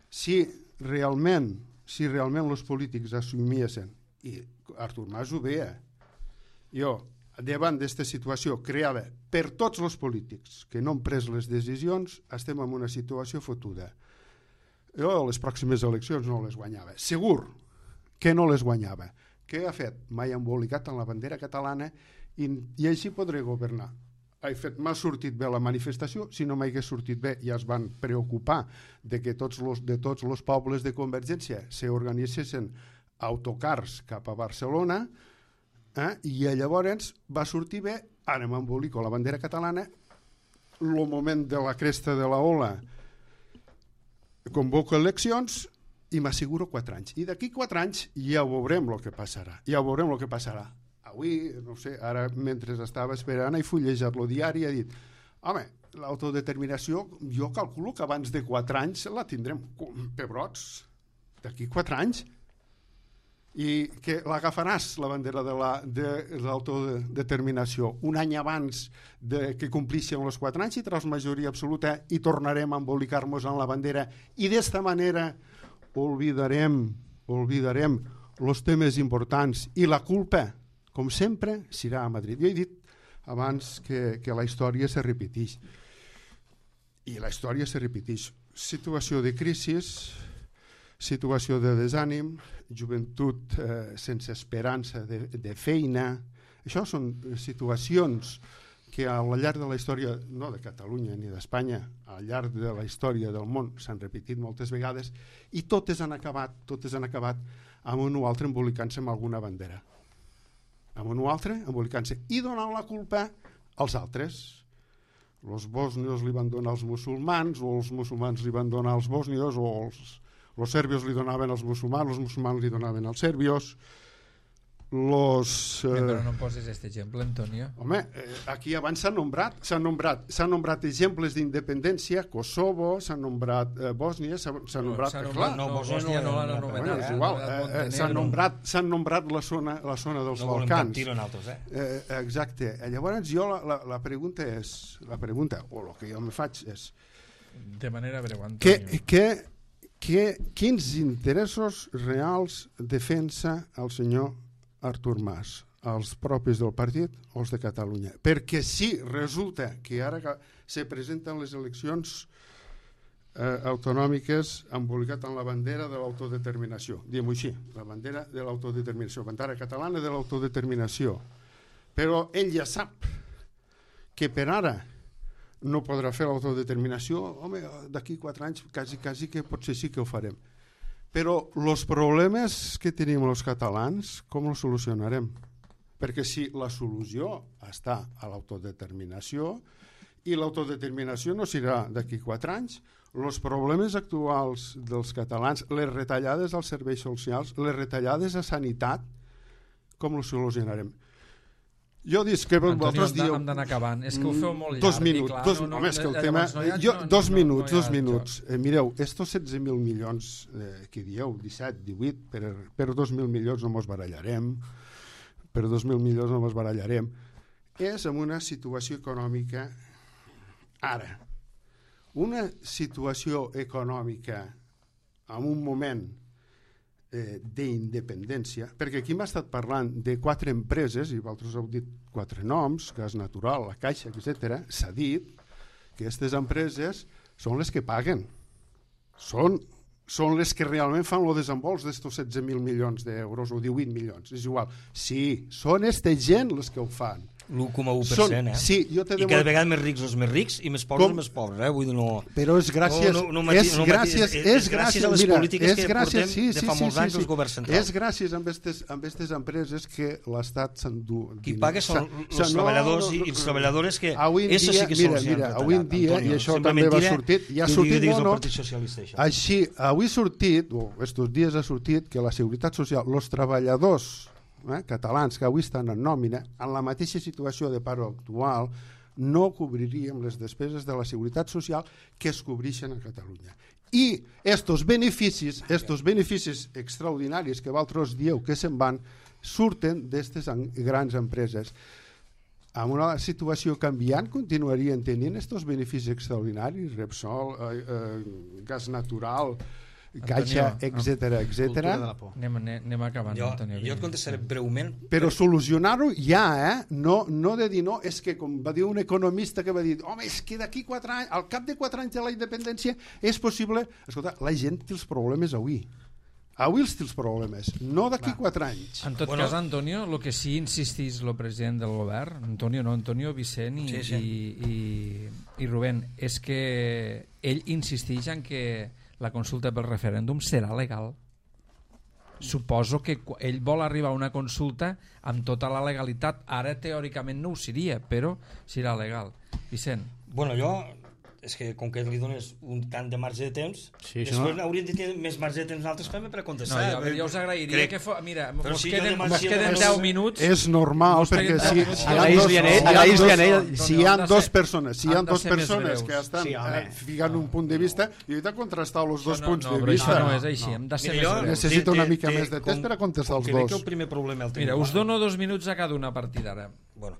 S4: Si realment si realment els polítics assumiessin, i Artur Mas ho veia, jo davant d'aquesta situació creada per tots els polítics que no han pres les decisions, estem en una situació fotuda. Jo a les pròximes eleccions no les guanyava, segur que no les guanyava. Què ha fet? Mai embolicat en la bandera catalana i, i així podré governar. M'ha sortit bé la manifestació, si no m'hagués sortit bé ja es van preocupar de que tots los, de tots els pobles de Convergència s'organitzessin autocars cap a Barcelona, eh? i llavors va sortir bé, ara m'embolico la bandera catalana, el moment de la cresta de la ola convoco eleccions i m'asseguro quatre anys. I d'aquí quatre anys ja veurem el que passarà, ja veurem el que passarà. Avui, no sé, ara mentre estava esperant he fullejat el diari i he dit, home, l'autodeterminació, jo calculo que abans de quatre anys la tindrem. Pebrots, d'aquí quatre anys. I que l'agafaràs, la bandera de l'autodeterminació, un any abans de que complixen els quatre anys i tras majoria absoluta i tornarem a embolicar-nos en la bandera i d'esta manera oblidarem, oblidarem els temes importants i la culpa, com sempre, serà a Madrid. Jo he dit abans que, que la història se repeteix. I la història se repeteix. Situació de crisi, situació de desànim, joventut eh, sense esperança de, de feina. Això són situacions que al llarg de la història, no de Catalunya ni d'Espanya, al llarg de la història del món s'han repetit moltes vegades i totes han acabat, totes han acabat amb un o altre embolicant-se amb alguna bandera. Amb un o altre embolicant-se i donant la culpa als altres. Els bòsnios li van donar als musulmans, o els musulmans li van donar als bòsnios, o els els serbios li donaven als musulmans, els musulmans li donaven als serbios. Los, eh...
S1: Però no posis aquest exemple, Antonio.
S4: Home, eh, aquí abans s'han nombrat, s'han nombrat, s'han nombrat exemples d'independència, Kosovo, s'han nombrat eh, Bòsnia, s'han no, nombrat...
S1: S'ha
S4: nombrat
S1: no, no, Bòsnia no l'han anomenat.
S4: És igual, eh, s'han nombrat, s'han nombrat la zona, la zona dels
S2: no
S4: Balcans.
S2: No volem altres, eh?
S4: eh? Exacte. Llavors jo la, la, la pregunta és, la pregunta, o el que jo me faig és...
S1: De manera breu, Antonio.
S4: Que, que Que, quins interessos reals defensa el senyor Artur Mas, els propis del partit o els de Catalunya? Perquè si resulta que ara que se presenten les eleccions eh, autonòmiques embolicat en la bandera de l'autodeterminació, diguem-ho així, la bandera de l'autodeterminació, bandera catalana de l'autodeterminació, però ell ja sap que per ara no podrà fer l'autodeterminació, home, d'aquí quatre anys quasi, quasi que potser sí que ho farem. Però els problemes que tenim els catalans, com els solucionarem? Perquè si la solució està a l'autodeterminació i l'autodeterminació no serà d'aquí quatre anys, els problemes actuals dels catalans, les retallades als serveis socials, les retallades a sanitat, com els solucionarem? Jo dic que vosaltres dieu...
S1: Hem d'anar acabant. És que ho feu molt llarg.
S4: Dos minuts.
S1: Clar,
S4: dos,
S1: no, no,
S4: home, és que el tema...
S1: No ha,
S4: jo,
S1: no,
S4: dos
S1: no,
S4: minuts,
S1: no, no
S4: dos minuts. Eh, mireu, estos setze mil milions eh, que dieu, disset, divuit, per, per dos mil milions no mos barallarem, per dos mil milions no mos barallarem, és en una situació econòmica ara. Una situació econòmica en un moment Eh, d'independència, perquè aquí m'ha estat parlant de quatre empreses, i vosaltres heu dit quatre noms, Gas Natural, La Caixa, etcètera. S'ha dit que aquestes empreses són les que paguen. Són, són les que realment fan el desembols d'estos setze mil milions d'euros o divuit milions, és igual. Sí, són aquesta gent les que ho fan.
S2: l'u coma u per cent, eh?
S4: Sí, jo te
S2: I cada vegada més rics els més rics i més pobres els més pobres, eh? Vull dir, no...
S4: Però és gràcies...
S2: No, no, no,
S4: és
S2: no,
S4: gràcies, és, és gràcies
S2: a les
S4: mira,
S2: polítiques
S4: és
S2: que
S4: gràcies,
S2: portem
S4: sí, sí,
S2: de fa
S4: sí,
S2: molts
S4: sí,
S2: anys
S4: sí.
S2: els governs centrals.
S4: És gràcies a aquestes empreses que l'Estat s'endú...
S2: Qui paga són els treballadors i els treballadores que... Eso sí que
S4: mira, mira, avui en dia, i això també va sortit... Ja ha sortit, no, no, així, avui ha sortit, o estos dies ha sortit, que la Seguretat Social, els treballadors eh, catalans que avui estan en nòmina, en la mateixa situació de paro actual, no cobriríem les despeses de la Seguretat Social que es cobreixen a Catalunya. I estos beneficis, estos beneficis extraordinaris que vosaltres dieu que se'n van, surten d'aquestes grans empreses. En una situació canviant continuarien tenint estos beneficis extraordinaris, Repsol, eh, eh, gas natural, Caixa, etcètera, etcètera.
S1: Anem, anem acabant,
S2: jo,
S1: Antonio.
S2: Jo et contestaré breument.
S4: Però solucionar-ho ja, eh? No, no de dir no, és que com va dir un economista que va dir, home, és que d'aquí quatre anys, al cap de quatre anys de la independència és possible... Escolta, la gent té els problemes avui. Avui els té els problemes, no d'aquí quatre anys.
S1: En tot bueno, cas, Antonio, el que sí insistís el president del govern, Antonio no, Antonio, Vicent i,
S2: sí, sí.
S1: i, i, i Rubén, és que ell insisteix en que la consulta pel referèndum serà legal. Suposo que ell vol arribar a una consulta amb tota la legalitat. Ara teòricament no ho seria, però serà legal. Vicent.
S2: Bueno, jo és que com que li dones un tant de marge de temps,
S3: sí,
S2: després
S3: no?
S2: hauríem de tenir més marge de temps nosaltres també per a contestar.
S1: No, jo, jo us agrairia
S2: Crec.
S1: que... Fo... Mira,
S2: Però
S1: mos
S2: si
S1: queden,
S2: jo
S1: mos
S2: demano-
S1: queden
S2: és-
S1: deu minuts.
S4: És normal,
S1: Mos
S4: perquè
S1: queden
S4: si,
S1: deu minuts.
S4: si hi ha
S3: Agraïs-li
S4: dos,
S3: a ell,
S4: si hi ha
S3: agraïs-li
S4: dos,
S3: a ell.
S4: si hi ha
S1: Han de
S4: dos
S1: ser-
S4: persones, si hi ha
S1: han de
S4: dos
S1: ser més
S4: persones
S1: breus.
S4: que estan
S3: Sí, home.
S4: eh, ficant un punt de vista, i he de contrastar els dos
S1: no,
S4: punts
S1: no,
S4: de
S1: però
S4: vista.
S1: això no és així, hem de ser
S2: Mira,
S1: més
S2: jo
S1: breus.
S4: Necessito una
S2: té-
S4: mica
S2: té-
S4: més de temps
S2: com-
S4: per a contestar
S2: com
S4: els
S2: que veig
S4: dos.
S2: que el primer problema el tenim...
S1: Mira, us dono dos minuts a cada una partida ara.
S2: Bueno,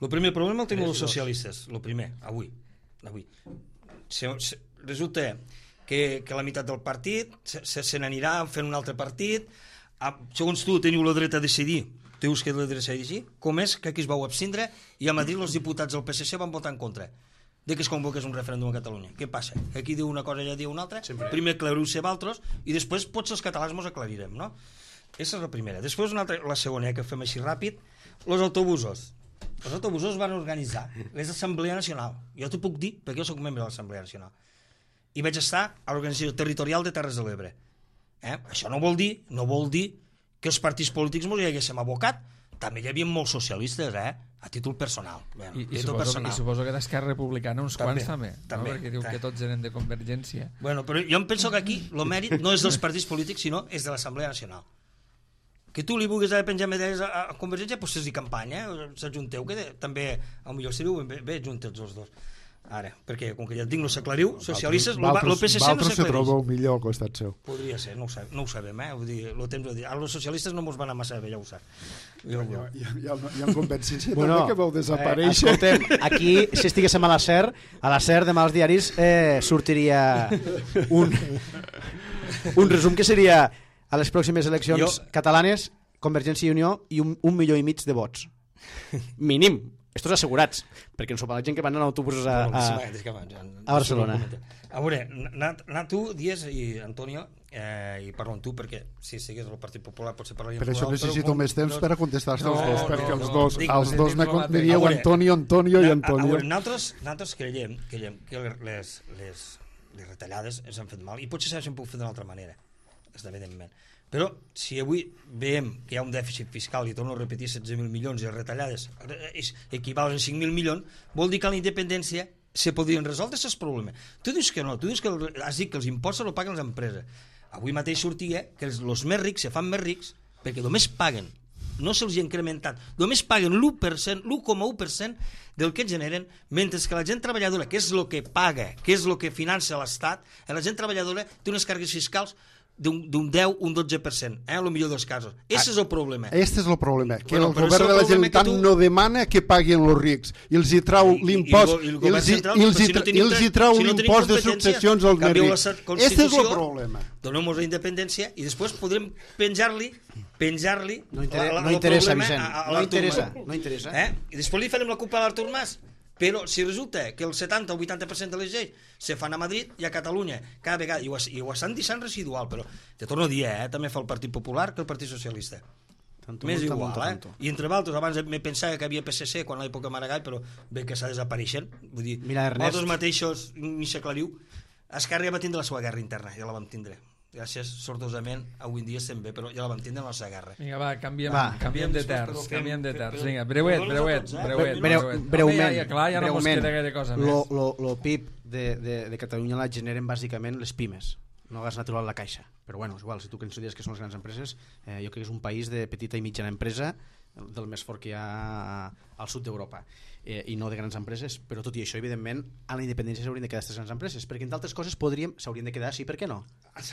S2: el primer problema el tenen els socialistes, el primer, avui. avui. Se, se, resulta que, que la meitat del partit se, se, se n'anirà fent un altre partit. A, segons tu teniu la dreta a decidir, dius que la dreta a decidir, com és que aquí es vau abstindre i a Madrid els diputats del P S C van votar en contra de que es convoqués un referèndum a Catalunya. Què passa? Que aquí diu una cosa i allà diu una altra. Sempre. Primer aclariu-se vosaltres i després potser els catalans mos aclarirem, no? Aquesta és la primera. Després una altra, la segona, que fem així ràpid, els autobusos. Els autobusos van organitzar les Assemblea Nacional. Jo t'ho puc dir perquè jo soc membre de l'Assemblea Nacional. I vaig estar a l'Organització Territorial de Terres de l'Ebre. Eh? Això no vol dir no vol dir que els partits polítics mos hi haguéssim abocat. També hi havia molts socialistes, eh? A títol personal. Bueno,
S1: I, i,
S2: títol
S1: suposo,
S2: personal.
S1: I suposo que d'Esquerra Republicana uns
S2: També,
S1: quants també,
S2: també,
S1: no? Perquè diu
S2: també.
S1: que tots eren de Convergència.
S2: Bueno, però jo em penso que aquí el mèrit no és dels partits polítics, sinó és de l'Assemblea Nacional. Que tu li vulguis haver penjar medalles a, a Convergència, doncs és-hi campanya, eh? S'ajunteu, que de, també, potser seríeu bé, bé juntes els dos. Ara, perquè, com que ja et dic, no s'aclariu, socialistes, el P S C no
S4: Valtros se
S2: s'aclareix.
S4: trobeu millor al costat seu.
S2: Podria ser, no ho sabem, no ho sabem eh? Vull dir, lo temps ho dir. Ara els socialistes no mos van a massa bé, ja ho sap. Jo,
S4: Ja, ja, ja, ja em convencència
S3: Bueno,
S4: també que vau
S3: eh,
S4: desaparèixer.
S3: escoltem, aquí, si estiguéssim a la SER, a la SER demà als diaris eh, sortiria un, un resum que seria a les pròximes eleccions
S2: Jo-
S3: catalanes, Convergència i Unió i un, un milió i mig de vots. Mínim. Estos assegurats, perquè ens ho la gent que van en autobusos a, a, a Barcelona.
S2: A veure, anar, anar tu, Dies i Antonio, eh, i parlo amb tu perquè si sigués el Partit Popular potser parlaríem
S4: Per això
S2: plural,
S4: necessito
S2: però,
S4: més temps
S2: però,
S4: per a contestar-te
S1: No,
S4: els dos,
S1: no,
S4: perquè els
S1: no,
S4: dos,
S2: dic,
S4: els dos me,
S1: dic,
S4: me dieu
S2: a veure,
S4: Antonio, Antonio i
S2: A, a
S4: Antonio.
S2: veure, nosaltres, nosaltres creiem, creiem que les, les, les retallades ens han fet mal i potser s'han pogut fer d'una altra manera, evidentment. Però si avui veiem que hi ha un dèficit fiscal, i torno a repetir, setze mil milions i les retallades equivalen a cinc mil milions, vol dir que a la independència se podrien resoldre aquests problemes. Tu dius que no, tu dius que el, has dit que els impostos el paguen les empreses. Avui mateix sortia que els, els més rics se fan més rics perquè només paguen, no se'ls ha incrementat, només paguen l'u per cent, l'u coma u per cent del que generen, mentre que la gent treballadora, que és el que paga, que és el que financia l'Estat, la gent treballadora té unes càrregues fiscals d'un deu, un dotze per cent, eh, en el millor dels casos. Aquest és el problema.
S4: Este és el problema, que
S2: Bueno,
S4: el
S2: però és
S4: govern
S2: el
S4: de la
S2: problema que
S4: Generalitat
S2: tu-
S4: no demana que paguin els rics i els hi trau
S2: I- i-
S4: l'impost
S2: i el
S4: i
S2: govern
S4: els hi-
S2: central,
S4: i els
S2: però
S4: hi
S2: si no
S4: tra-
S2: tenim
S4: i els hi
S2: tre-
S4: trau
S2: si no tenim
S4: l'impost de
S2: competència,
S4: successions als més
S2: canvieu la
S4: rics.
S2: sa-
S4: Este és el
S2: Constitució,
S4: problema.
S2: Donem-nos la independència i després podrem penjar-li penjar-li
S3: No, inter
S2: la- la-
S3: no
S2: el
S3: interessa,
S2: problema
S3: Vicent.
S2: a- a
S3: No
S2: l'Artur
S3: interessa,
S2: Mas.
S3: no interessa.
S2: Eh? I després li farem la culpa a l'Artur Mas. Però si resulta que el setanta o vuitanta per cent de les lleis se fan a Madrid i a Catalunya cada vegada, i ho, i ho estan deixant residual, però te torno a dir, eh? També fa el Partit Popular que el Partit Socialista.
S3: Tanto
S2: Més
S3: multa,
S2: igual,
S3: multa,
S2: eh?
S3: tanto.
S2: I entre altres, abans me pensava que havia P S C quan a l'època Maragall, però bé que està desapareixent. Vull dir,
S3: Mira, Ernest.
S2: vosaltres mateixos ni s'aclariu. Esquerra ja va tindre la seva guerra interna, ja la vam tindre. Gràcies, sortosament, avui en dia estem bé, però ja la vam tindre en la seva guerra.
S1: Vinga, va, canviem,
S3: Va.
S1: canviem de
S2: Però
S1: terç,
S2: fem-
S1: canviem de
S2: fem-
S1: terç.
S2: però-
S1: Vinga, breuet,
S2: però
S1: breuet,
S2: tots, eh?
S1: breuet,
S3: Breu,
S1: breuet.
S3: breument,
S1: Home, ja, clar, ja no mos
S3: breument.
S1: queda gaire cosa més.
S3: Lo, lo, lo P I B de, de, de Catalunya la generen bàsicament les pimes, no gas natural la caixa. Però bueno, és igual, si tu consideres que són les grans empreses, eh, jo crec que és un país de petita i mitjana empresa, del més fort que hi ha al sud d'Europa, eh, i no de grans empreses, però tot i això, evidentment, a la independència s'haurien de quedar aquestes grans empreses, perquè entre altres coses podríem, s'haurien de quedar, sí, per què no?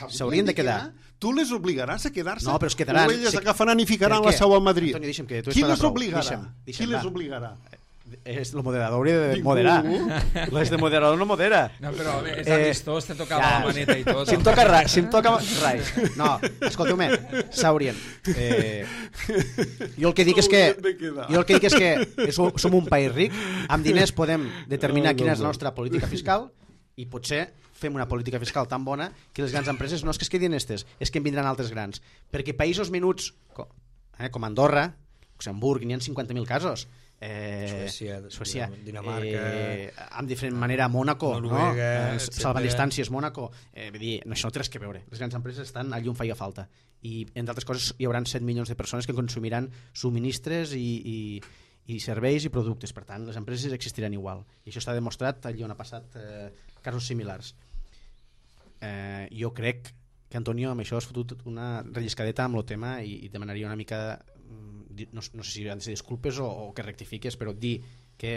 S3: S'haurien de quedar.
S4: Tu les obligaràs a quedar-se?
S3: No, però es quedaran.
S4: O elles
S3: Sí.
S4: agafaran i ficaran
S3: Per
S4: la
S3: què?
S4: seu a Madrid?
S3: Antonio, deixa'm que tu
S4: Qui
S3: estàs
S4: les
S3: prou.
S4: obligarà?
S3: Deixa'm, deixa'm,
S4: Qui les
S3: va.
S4: obligarà?
S3: És, el moderador hauria de
S4: Ningú.
S3: moderar. Les de moderador no modera.
S1: No, però home, és
S3: Eh,
S1: amistós, te tocava
S3: ja,
S1: la maneta i tot.
S3: Si em toca res, si em toca res. No, escolteu-me, s'haurien. Eh, jo el que dic és que
S4: S'haurien de quedar.
S3: jo el que dic és que som, som un país ric, amb diners podem determinar quina és la nostra política fiscal i potser fem una política fiscal tan bona que les grans empreses no és que es quedin estes, és que en vindran altres grans. Perquè països menuts, com, eh, com Andorra, Luxemburg, n'hi ha cinquanta mil casos. Eh,
S2: Suècia,
S3: Suècia,
S2: Dinamarca,
S3: eh, amb diferent manera Mònaco,
S2: Noruega,
S3: no? eh,
S2: etcètera.
S3: salvant distàncies Mònaco, eh, vull dir, no, això no té res que veure, les grans empreses estan allà on faia falta i entre altres coses hi haurà set milions de persones que consumiran subministres i, i, i serveis i productes. Per tant, les empreses existiran igual. I això està demostrat allà on ha passat eh, casos similars. Eh, jo crec que Antonio amb això has fotut una relliscadeta amb el tema i, i demanaria una mica, no, no sé si han de ser disculpes o, o que rectifiques, però dir que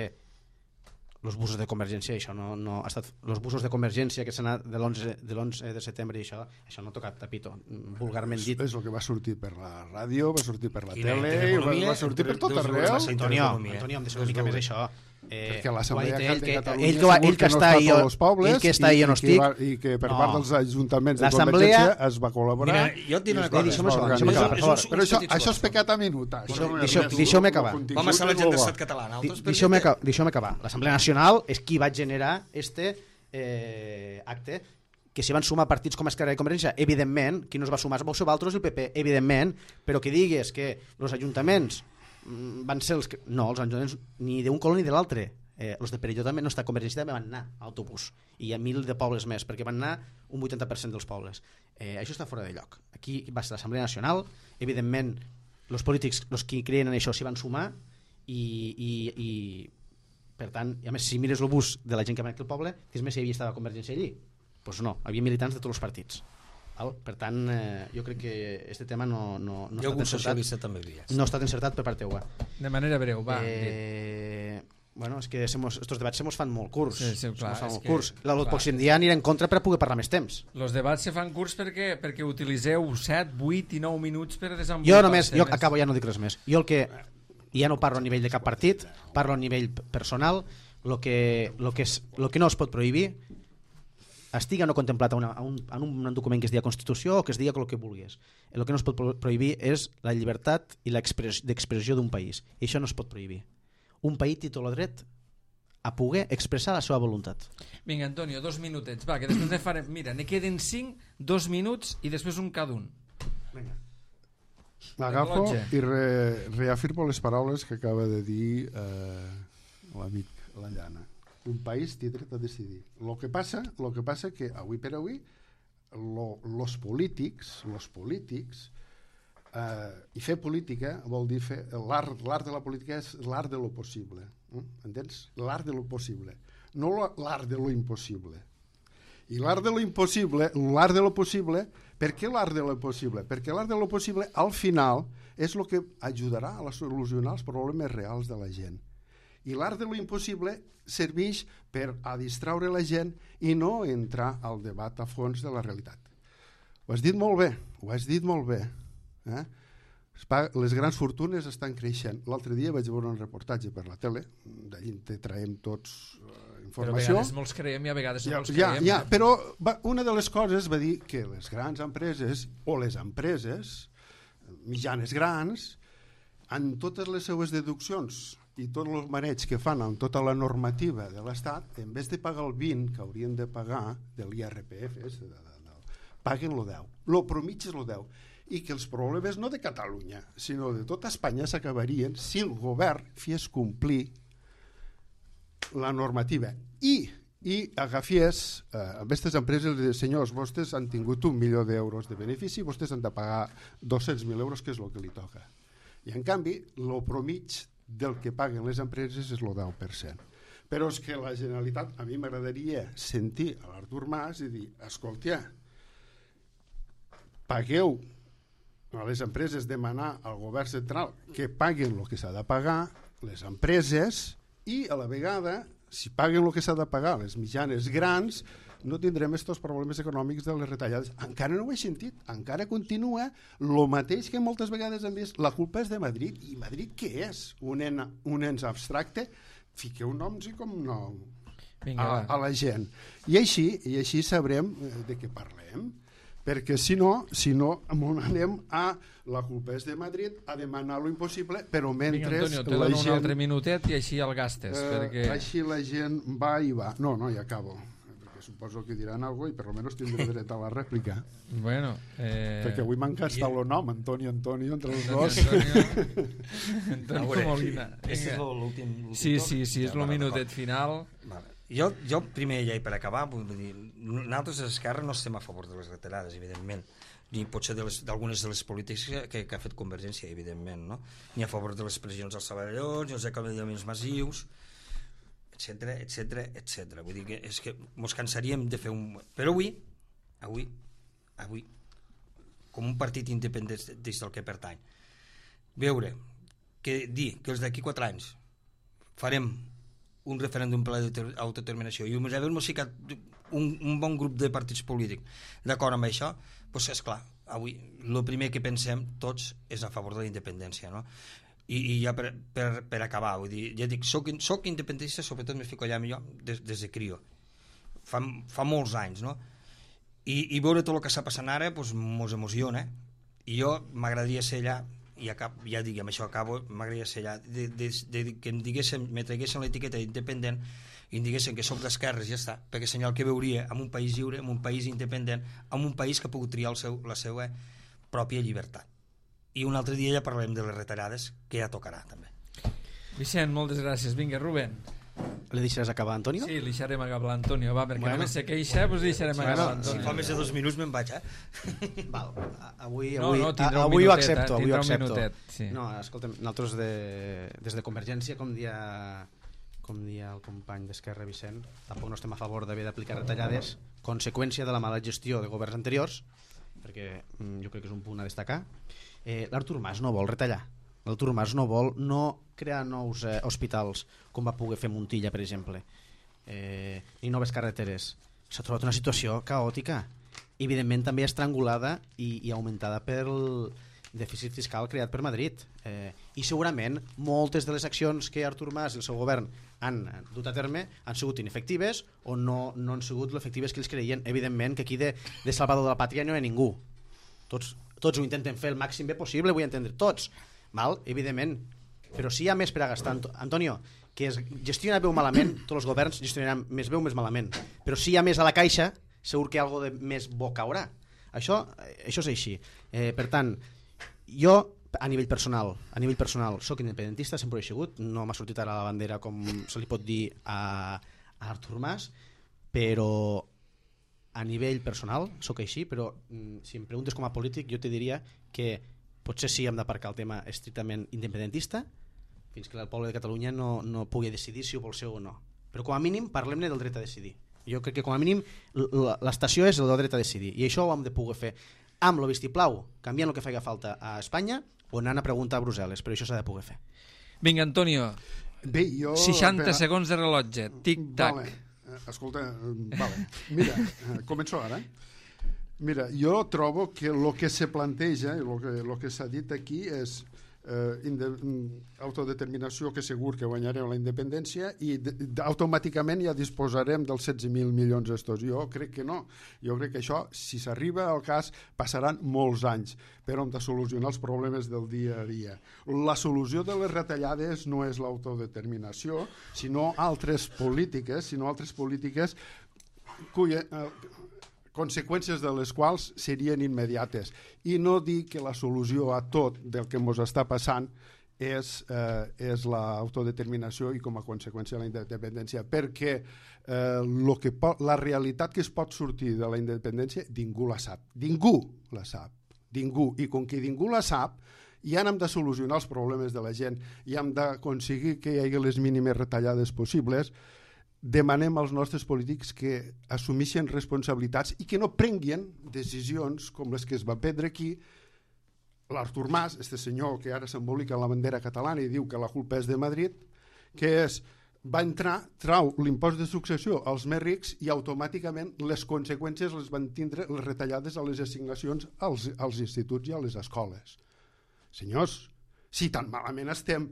S3: els busos de Convergència, això no, no ha estat, els busos de Convergència que s'han anat de l'onze de setembre i això, això no ha tocat tapito, vulgarment dit.
S4: És el que va sortir per la ràdio, va sortir per la
S2: I
S4: tele,
S2: i
S4: va, va sortir per tot arreu.
S3: Antonio, Antonio, hem de ser una mica més això. Eh,
S4: perquè l'Assemblea de Catalunya
S3: ell, ell, ell que està ahí
S4: no els pobles
S3: ell que està ahí on estic
S4: va, i que per no. part dels ajuntaments de Convergència es va col·laborar.
S2: Mira, jo et diré una cosa,
S3: deixa'm acabar, acabar,
S4: però això, això és pecat a minut.
S3: Deixeu-me acabar.
S2: Com a sala gent d'estat català.
S3: Deixeu-me acabar. L'Assemblea Nacional és qui va generar este eh, acte que s'hi van sumar partits com Esquerra i Convergència, evidentment, qui no es va sumar vau ser vosaltres el P P, evidentment, però que digues que els ajuntaments van ser els que... No, els ajuntaments ni d'un color ni de l'altre. Eh, els de Perelló també no està, Convergència també van anar a autobús i hi ha mil de pobles més, perquè van anar un vuitanta per cent dels pobles. Eh, això està fora de lloc. Aquí va ser l'Assemblea Nacional, evidentment els polítics, els que creien en això s'hi van sumar i, i, i per tant, i a més si mires el bus de la gent que va aquí al poble, dius més si hi havia estava Convergència allí? Doncs pues no, hi havia militants de tots els partits. Per tant, eh, jo crec que aquest tema no, no, no,
S2: jo
S3: està encertat,
S2: també havia.
S3: no ha estat encertat per part teua.
S1: De manera breu, va.
S3: Eh, bueno, és que estos debats se mos fan molt curts.
S1: Sí, sí, clar,
S3: se molt
S1: que,
S3: curts. El pròxim dia anirà en contra per poder parlar més temps.
S1: Els debats se fan curts perquè, perquè utilitzeu set, vuit i nou minuts per desenvolupar.
S3: Jo només, jo acabo, ja no dic res més. Jo el que, ja no parlo a nivell de cap partit, parlo a nivell personal, el que, lo que, és, lo que no es pot prohibir estigui o no contemplat una, un, en un document que es digui Constitució o que es digui el que vulguis. El que no es pot prohibir és la llibertat i l'expressió d'un país. I això no es pot prohibir. Un país té tot el dret a poder expressar la seva voluntat.
S1: Vinga, Antonio, dos minutets. Va, que després ne farem... Mira, ne queden cinc, dos minuts i després un cada un.
S3: Vinga.
S4: M'agafo i re, reafirmo les paraules que acaba de dir eh, l'amic, la Llana. Un país té dret a decidir. Lo que passa, lo que passa que avui per avui lo, los polítics, los polítics eh, i fer política vol dir fer l'art, l'art de la política és l'art de lo possible. Eh? Entens? L'art de lo possible, no l'art de lo impossible. I l'art de lo impossible, l'art de lo possible, per què l'art de lo possible? Perquè l'art de lo possible al final és el que ajudarà a solucionar els problemes reals de la gent. I l'art de lo impossible serveix per a distraure la gent i no entrar al debat a fons de la realitat. Ho has dit molt bé, ho has dit molt bé. Eh? Les grans fortunes estan creixent. L'altre dia vaig veure un reportatge per la tele, d'allí te traiem tots uh, informació.
S1: Però a vegades molts creiem i a vegades no
S4: ja,
S1: molts
S4: ja,
S1: creiem.
S4: Ja, però va, una de les coses va dir que les grans empreses o les empreses mitjanes grans, en totes les seues deduccions i tot el maneig que fan amb tota la normativa de l'Estat, en vez de pagar el vint que haurien de pagar de l'I R P F, de, de, de, paguen el deu. Lo promig és el deu. I que els problemes no de Catalunya, sinó de tota Espanya s'acabarien si el govern fes complir la normativa. I, i agafies eh, amb aquestes empreses i dius, senyors, vostès han tingut un milió d'euros de benefici, vostès han de pagar dos-cents mil euros, que és el que li toca. I en canvi, el promig del que paguen les empreses és el deu per cent. Però és que la Generalitat, a mi m'agradaria sentir a l'Artur Mas i dir, escolta, pagueu a les empreses, demanar al govern central que paguen el que s'ha de pagar, les empreses, i a la vegada, si paguen el que s'ha de pagar les mitjanes grans, no tindrem aquests problemes econòmics de les retallades. Encara no ho he sentit, encara continua el mateix que moltes vegades hem vist. La culpa és de Madrid. I Madrid què és? Un, en, un ens abstracte? Fiqueu noms i com nom
S1: Vinga,
S4: a, a la gent. I així, i així sabrem de què parlem. Perquè si no, si no anem a la culpa és de Madrid, a demanar lo impossible, però mentre
S1: Vinga, Antonio, te dono gent, un altre minutet i així el gastes.
S4: Eh, perquè... Així la gent va i va. No, no, ja acabo. Suposo que diran alguna cosa i per almenys tindré dret a la rèplica.
S1: Bueno, eh...
S4: perquè avui m'han gastat el nom, Antonio, Antonio, entre els dos.
S1: Antonio, Antonio Molina.
S2: Este és l'últim.
S1: Sí, sí, sí, és el minutet final.
S2: Vale. Jo, jo primer, ja i per acabar, vull dir, nosaltres a l'Esquerra no estem a favor de les retallades, evidentment, ni potser d'algunes de, de les polítiques que, que ha fet Convergència, evidentment, no? Ni a favor de les pressions als treballadors, ni els acomiadaments massius, etcètera, etcètera, etcètera. Vull dir que és que ens cansaríem de fer un... Però avui, avui, avui, com un partit independent des del que pertany, veure, que dir que els d'aquí quatre anys farem un referèndum per l'autodeterminació i haver-nos ficat un, un bon grup de partits polítics d'acord amb això, doncs és clar, avui el primer que pensem tots és a favor de la independència, no? I, i ja per, per, per acabar, vull dir, ja dic, soc, soc independentista, sobretot m'he ficat allà millor des, des de crio, fa, fa molts anys, no? I, i veure tot el que està passant ara doncs mos emociona, i jo m'agradaria ser allà, i acab, ja dic, amb això acabo, m'agradaria ser allà, de, de, de, de, que em diguessin, me traguessin l'etiqueta d'independent i em diguessin que soc d'esquerres, ja està, perquè senyal que veuria en un país lliure, en un país independent, en un país que ha pogut triar el seu, la seva pròpia llibertat. I un altre dia ja parlarem de les retallades, que ja tocarà també.
S1: Vicent, moltes gràcies. Vinga, Rubén.
S3: Le deixaràs acabar, Antonio?
S1: Sí, li deixarem acabar l'Antonio, va, perquè bueno, només se queixa, doncs deixarem
S3: bueno,
S1: acabar l'Antonio.
S2: Si fa més de dos minuts me'n vaig, eh?
S3: Val, avui,
S1: no,
S3: avui,
S1: no,
S3: a, avui ho accepto, avui ho accepto.
S1: Minutet, sí.
S3: No, escolta'm, nosaltres de, des de Convergència, com dia, com dia el company d'Esquerra Vicent, tampoc no estem a favor d'haver d'aplicar retallades, conseqüència de la mala gestió de governs anteriors, perquè mm, jo crec que és un punt a destacar. Eh, L'Artur Mas no vol retallar. L'Artur Mas no vol no crear nous eh, hospitals com va poder fer Montilla, per exemple, eh, ni noves carreteres. S'ha trobat una situació caòtica, evidentment també estrangulada i, i augmentada pel dèficit fiscal creat per Madrid, eh, i segurament moltes de les accions que Artur Mas i el seu govern han dut a terme han sigut inefectives o no, no han sigut l'efectives que ells creien. Evidentment que aquí de, de salvador de la pàtria no hi ha ningú, tots, tots ho intenten fer el màxim bé possible, vull entendre, tots, val? Evidentment, però si hi ha més per a gastar, Antonio, que es gestiona bé o malament, tots els governs gestionaran més bé o més malament, però si hi ha més a la caixa, segur que algo de més bo caurà. Això, això és així. Eh, per tant, jo a nivell personal, a nivell personal soc independentista, sempre ho he sigut, no m'ha sortit ara la bandera com se li pot dir a, a Artur Mas, però a nivell personal soc així, però si em preguntes com a polític jo te diria que potser sí hem d'aparcar el tema estrictament independentista fins que el poble de Catalunya no, no pugui decidir si ho vol ser o no, però com a mínim parlem-ne del dret a decidir. Jo crec que com a mínim l'estació és el del dret a decidir i això ho hem de poder fer amb el vistiplau, canviant el que faci falta a Espanya o anant a preguntar a Brussel·les, però això s'ha de poder fer.
S1: Vinga, Antonio.
S4: Bé, jo...
S1: seixanta
S4: per...
S1: segons de rellotge, tic-tac.
S4: Vale. Escolta, vale. Mira, començo ara. Mira, jo trobo que el que se planteja i el que, lo que s'ha dit aquí és eh, inde, autodeterminació, que segur que guanyarem la independència i de, de, automàticament ja disposarem dels setze mil milions estos. Jo crec que no. Jo crec que això, si s'arriba al cas, passaran molts anys per on de solucionar els problemes del dia a dia. La solució de les retallades no és l'autodeterminació, sinó altres polítiques, sinó altres polítiques cuya... Eh, conseqüències de les quals serien immediates, i no dir que la solució a tot del que ens està passant és, eh, és l'autodeterminació i com a conseqüència la independència, perquè eh, lo que pot, la realitat que es pot sortir de la independència ningú la sap, ningú la sap, ningú, i com que ningú la sap ja hem de solucionar els problemes de la gent i hem d'aconseguir que hi hagi les mínimes retallades possibles. Demanem als nostres polítics que assumeixen responsabilitats i que no prenguin decisions com les que es va prendre aquí. L'Artur Mas, este senyor que ara s'embolica en la bandera catalana i diu que la culpa és de Madrid, que és, va entrar, trau l'impost de successió als més rics i automàticament les conseqüències les van tindre les retallades a les assignacions als, als instituts i a les escoles. Senyors, si tan malament estem...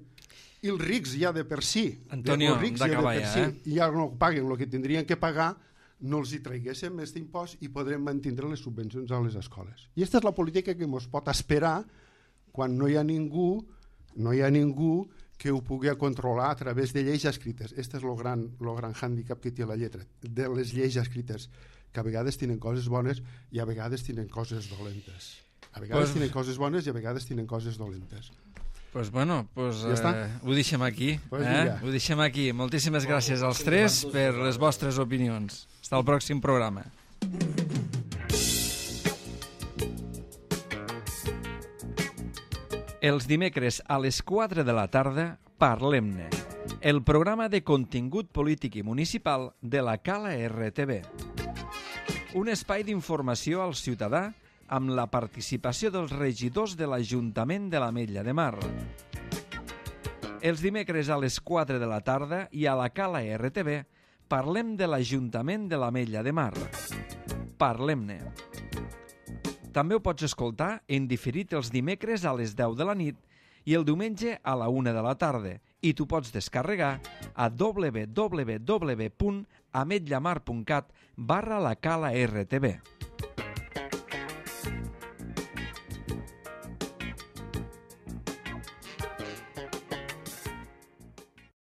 S4: i els rics ja de per si,
S1: Antonio,
S4: els rics ja de per
S1: ja,
S4: si,
S1: eh?
S4: ja no paguen el que tindrien que pagar, no els hi traiguéssim més d'impost i podrem mantenir les subvencions a les escoles. I aquesta és la política que ens pot esperar quan no hi ha ningú, no hi ha ningú que ho pugui controlar a través de lleis escrites. Aquest és el gran, el gran hàndicap que té la lletra, de les lleis escrites, que a vegades tenen coses bones i a vegades tenen coses dolentes. A vegades pues... tenen coses bones i a vegades tenen coses dolentes.
S1: Pues bueno, pues,
S4: ja està.
S1: eh, ho deixem aquí.
S4: Pues
S1: eh? Ho deixem aquí. Moltíssimes gràcies als tres per les vostres opinions. Fins al pròxim programa. Els dimecres a les quatre de la tarda, Parlem-ne, el programa de contingut polític i municipal de la Cala R T V. Un espai d'informació al ciutadà amb la participació dels regidors de l'Ajuntament de l'Ametlla de Mar. Els dimecres a les quatre de la tarda i a la Cala R T V parlem de l'Ajuntament de l'Ametlla de Mar. Parlem-ne. També ho pots escoltar en diferit els dimecres a les deu de la nit i el diumenge a la una de la tarda i tu pots descarregar a w w w punt ametllamar punt cat barra la Cala R T V.